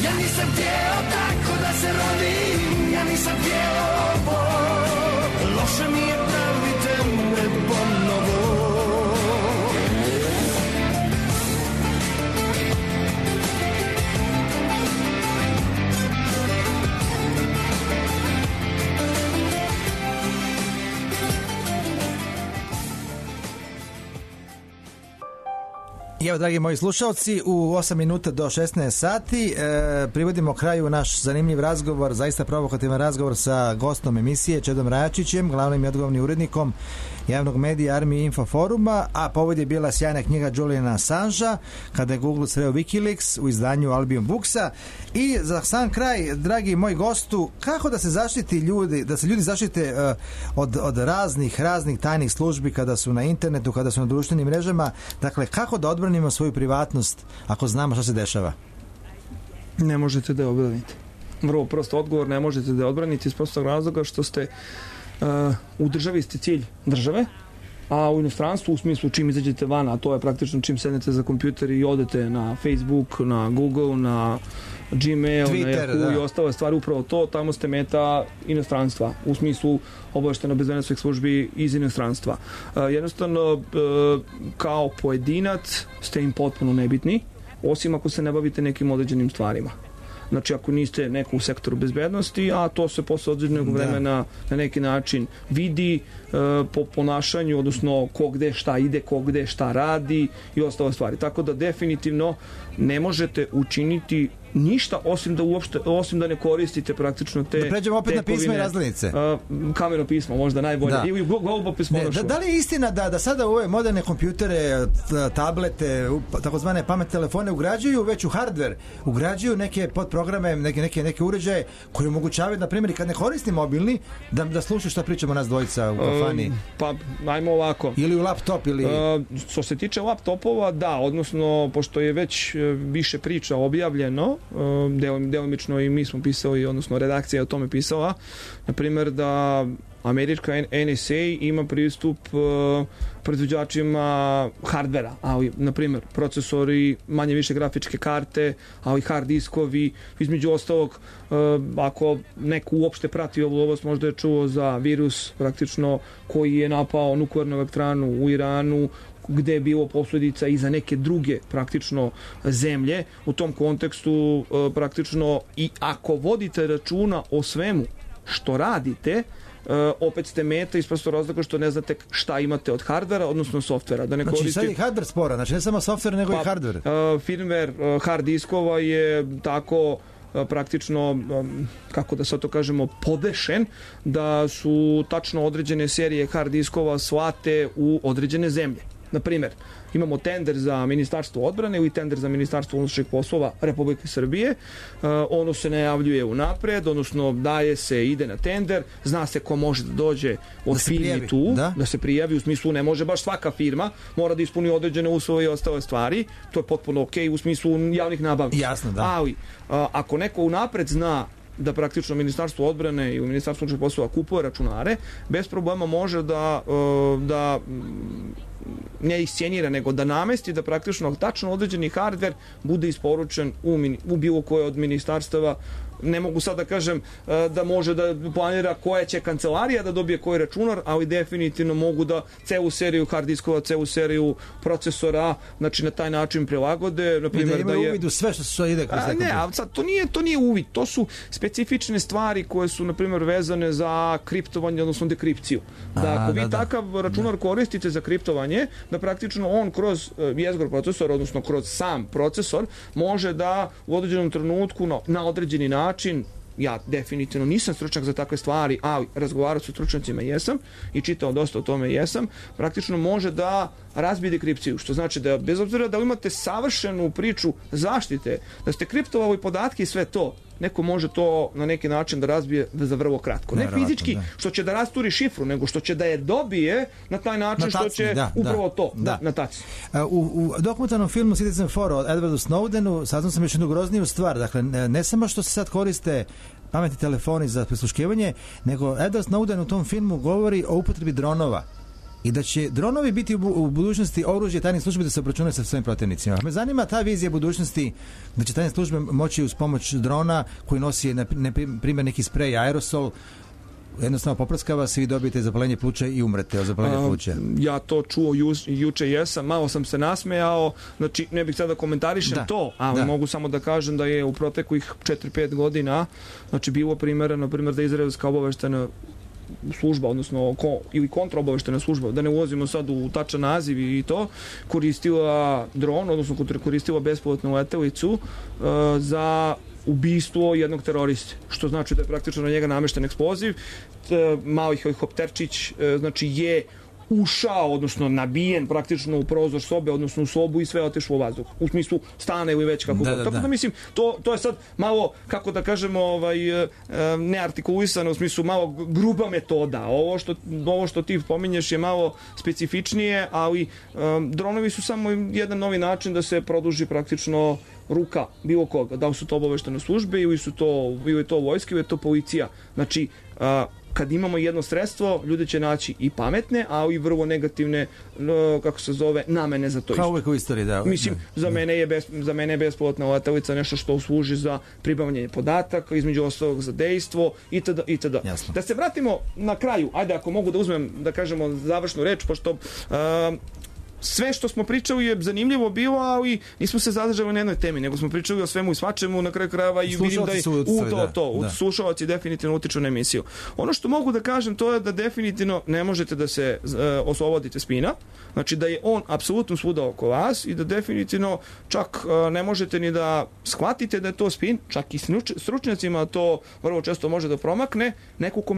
E: Ja nisam htjeo tako da se rodim, ja nisam htjeo ovo. Loše mi je, pravite me ponovo.
A: Evo, dragi moji slušalci, u osam minuta do šesnaest sati e, privodimo kraju naš zanimljiv razgovor, zaista provokativan razgovor sa gostom emisije, Čedom Rajačićem, glavnim i odgovornim urednikom javnog medija Army Info foruma, a povod je bila sjajna knjiga Juliana Assangea, kada je Google sreo Wikileaks u izdanju Albion Booksa. I za sam kraj, dragi moji gostu, kako da se zaštiti ljudi, da se ljudi zaštite uh, od, od raznih, raznih tajnih službi kada su na internetu, kada su na društvenim mrežama, dakle, kako da odbranimo svoju privatnost ako znamo šta se dešava?
C: Ne možete da je odbranite. Vrlo prosto odgovor, ne možete da je odbranite iz prostog razloga što ste uh, u državi ste cilj države, a u inostranstvu u smislu čim izađete van, a to je praktično čim sednete za kompjuter i odete na Facebook, na Google, na Gmail, Twitter, na Yahoo da. I ostale stvari, upravo to, tamo ste meta inostranstva, u smislu obavešteno bezbednosnih službi iz inostranstva. Uh, jednostavno, uh, kao pojedinac ste im potpuno nebitni, osim ako se ne bavite nekim određenim stvarima. Znači, ako niste neko u sektoru bezbednosti, a to se posle određenog vremena na neki način vidi e, po ponašanju, odnosno ko gde šta ide, ko gde šta radi i ostale stvari. Tako da definitivno ne možete učiniti ništa osim da uopšte, osim da ne koristite praktično te
A: da pređemo opet tekovine, na pisma i razglednice. Uh, kameno pismo, možda najbolje. Da. I globo pismo. Ne, da, da li je istina da, da sada u ove moderne kompjutere, tablete, takozvane pametne telefone ugrađuju već u hardware, ugrađuju neke podprograme, neke, neke, neke uređaje koji omogućavaju, na primjer, kad ne koristim mobilni, da, da slušaju šta pričamo nas dvojica u kafani? Um, pa, ajmo ovako. Ili u laptop, ili... Uh,
C: što se tiče laptopova, da, odnosno, pošto je već više priča objavljeno, delimično i mi smo pisali, odnosno redakcija je o tome pisala, na primjer da američka N S A ima pristup uh, proizvođačima hardvera, ali, na primjer, procesori, manje više grafičke karte, ali hard diskovi, između ostalog, uh, ako neko uopšte prati ovu oblast, možda je čuo za virus, praktično, koji je napao nuklearnu elektranu u Iranu, gde je bilo posljedica i za neke druge praktično zemlje. U tom kontekstu uh, praktično i ako vodite računa o svemu što radite, Uh, opet ste meta iz prostog razloga što ne znate šta imate od hardvera, odnosno softvera. Da ne
A: znači
C: koristite...
A: sad je hardver spora, znači ne samo softver nego pa, i hardver. Uh,
C: firmware uh, hard diskova je tako uh, praktično, um, kako da sad to kažemo, podešen, da su tačno određene serije hard diskova slate u određene zemlje. Na primjer, imamo tender za Ministarstvo odbrane ili tender za Ministarstvo unutrašnjih poslova Republike Srbije. Uh, ono se najavljuje unapred, odnosno daje se, ide na tender, zna se ko može da dođe od da firmi tu, da? da se prijavi, u smislu ne može baš svaka firma, mora da ispuni određene uslove i ostale stvari, to je potpuno ok u smislu javnih nabavki.
A: Jasno, da.
C: Ali, uh, ako neko unapred zna da praktično Ministarstvo odbrane i Ministarstvo unutrašnjih poslova kupuje računare, bez problema može da, uh, da ne iscenira, nego da namesti da praktično tačno određeni hardver bude isporučen u, u bilo koje od ministarstava. Ne mogu sad da kažem da može da planira koja će kancelarija da dobije koji računar, ali definitivno mogu da celu seriju hard diskova, celu seriju procesora, znači na taj način prilagode. Na primjer,
A: da imaju da je... uvid u sve što se ide kroz
C: ne, a sad to nije, to nije uvid, to su specifične stvari koje su, na primjer, vezane za kriptovanje, odnosno dekripciju. Da ako vi da, da. takav računar da. koristite za kriptovanje, da praktično on kroz jezgor procesor, odnosno kroz sam procesor, može da u određenom trenutku na, na određeni način način, ja definitivno nisam stručnjak za takve stvari, ali razgovarao sa stručnjacima jesam i čitao dosta o tome jesam, praktično može da razbije dekripciju, što znači da bez obzira da imate savršenu priču zaštite, da ste kriptovali podatke i sve to, neko može to na neki način da razbije za vrlo kratko. Ne fizički, da. što će da rasturi šifru, nego što će da je dobije na taj način na tacni, što će da, upravo
A: da,
C: to,
A: da.
C: Da, na taci.
A: U, u dokumentarnom filmu Citizen Four od Edwardu Snowdenu saznao sam još jednu grozniju stvar. Dakle, ne samo što se sad koriste pametni telefoni za prisluškivanje, nego Edward Snowden u tom filmu govori o upotrebi dronova. I da će dronovi biti u, u budućnosti oružje tajnih službi da se obračunaju sa svojim protivnicima. Me zanima ta vizija budućnosti da će tajne službe moći uz pomoć drona koji nosi na, na primjer neki sprej aerosol, jednostavno poprskava se i dobijete zapalenje pluća i umrete od zapalenja pluća.
C: Ja to čuo ju, juče jesam, malo sam se nasmejao, znači ne bih sad da komentarišem da, to, ali da. mogu samo da kažem da je u proteklih četiri pet godina znači bilo primjera, na primjer da izraelska obaveštena služba, odnosno ko, ili kontraobaveštena služba, da ne ulazimo sad u tačan naziv i to, koristila dron, odnosno koristila bespilotnu letelicu uh, za ubistvo jednog teroriste, što znači da je praktično na njega namešten eksploziv. T, mali helikopterčić uh, znači je ušao, odnosno nabijen praktično u prozor sobe, odnosno u sobu i sve otišlo u vazduh. U smislu stana ili već kako
A: da,
C: god.
A: da,
C: Tako da,
A: da
C: mislim, to, to je sad malo, kako da kažemo, ovaj, neartikulisano, u smislu malo gruba metoda. Ovo što, ovo što ti pominješ je malo specifičnije, ali um, dronovi su samo jedan novi način da se produži praktično ruka bilo koga. Da li su to obaveštene službe ili su to, ili je to vojska ili je to policija. Znači, uh, kad imamo jedno sredstvo, ljudi će naći i pametne, ali i vrlo negativne, kako se zove, namene za to isto.
A: Kao uvek u istoriji, da.
C: Mislim, za mene je, bez, za mene je bespilotna letelica nešto što služi za pribavljanje podataka, između ostalog za dejstvo, itd. itd.
A: Jasno.
C: Da se vratimo na kraju, ajde ako mogu da uzmem, da kažemo, završnu reč, pošto uh, sve što smo pričali je zanimljivo bilo, ali nismo se zadržali na jednoj temi, nego smo pričali o svemu i svačemu, na kraju krajeva i vidim da je u to, to, da. Slušalci definitivno utiču na emisiju. Ono što mogu da kažem to je da definitivno ne možete da se uh, oslobodite spina, znači da je on apsolutno svuda oko vas i da definitivno čak uh, ne možete ni da shvatite da je to spin, čak i stručnjacima to vrlo često može da promakne, neku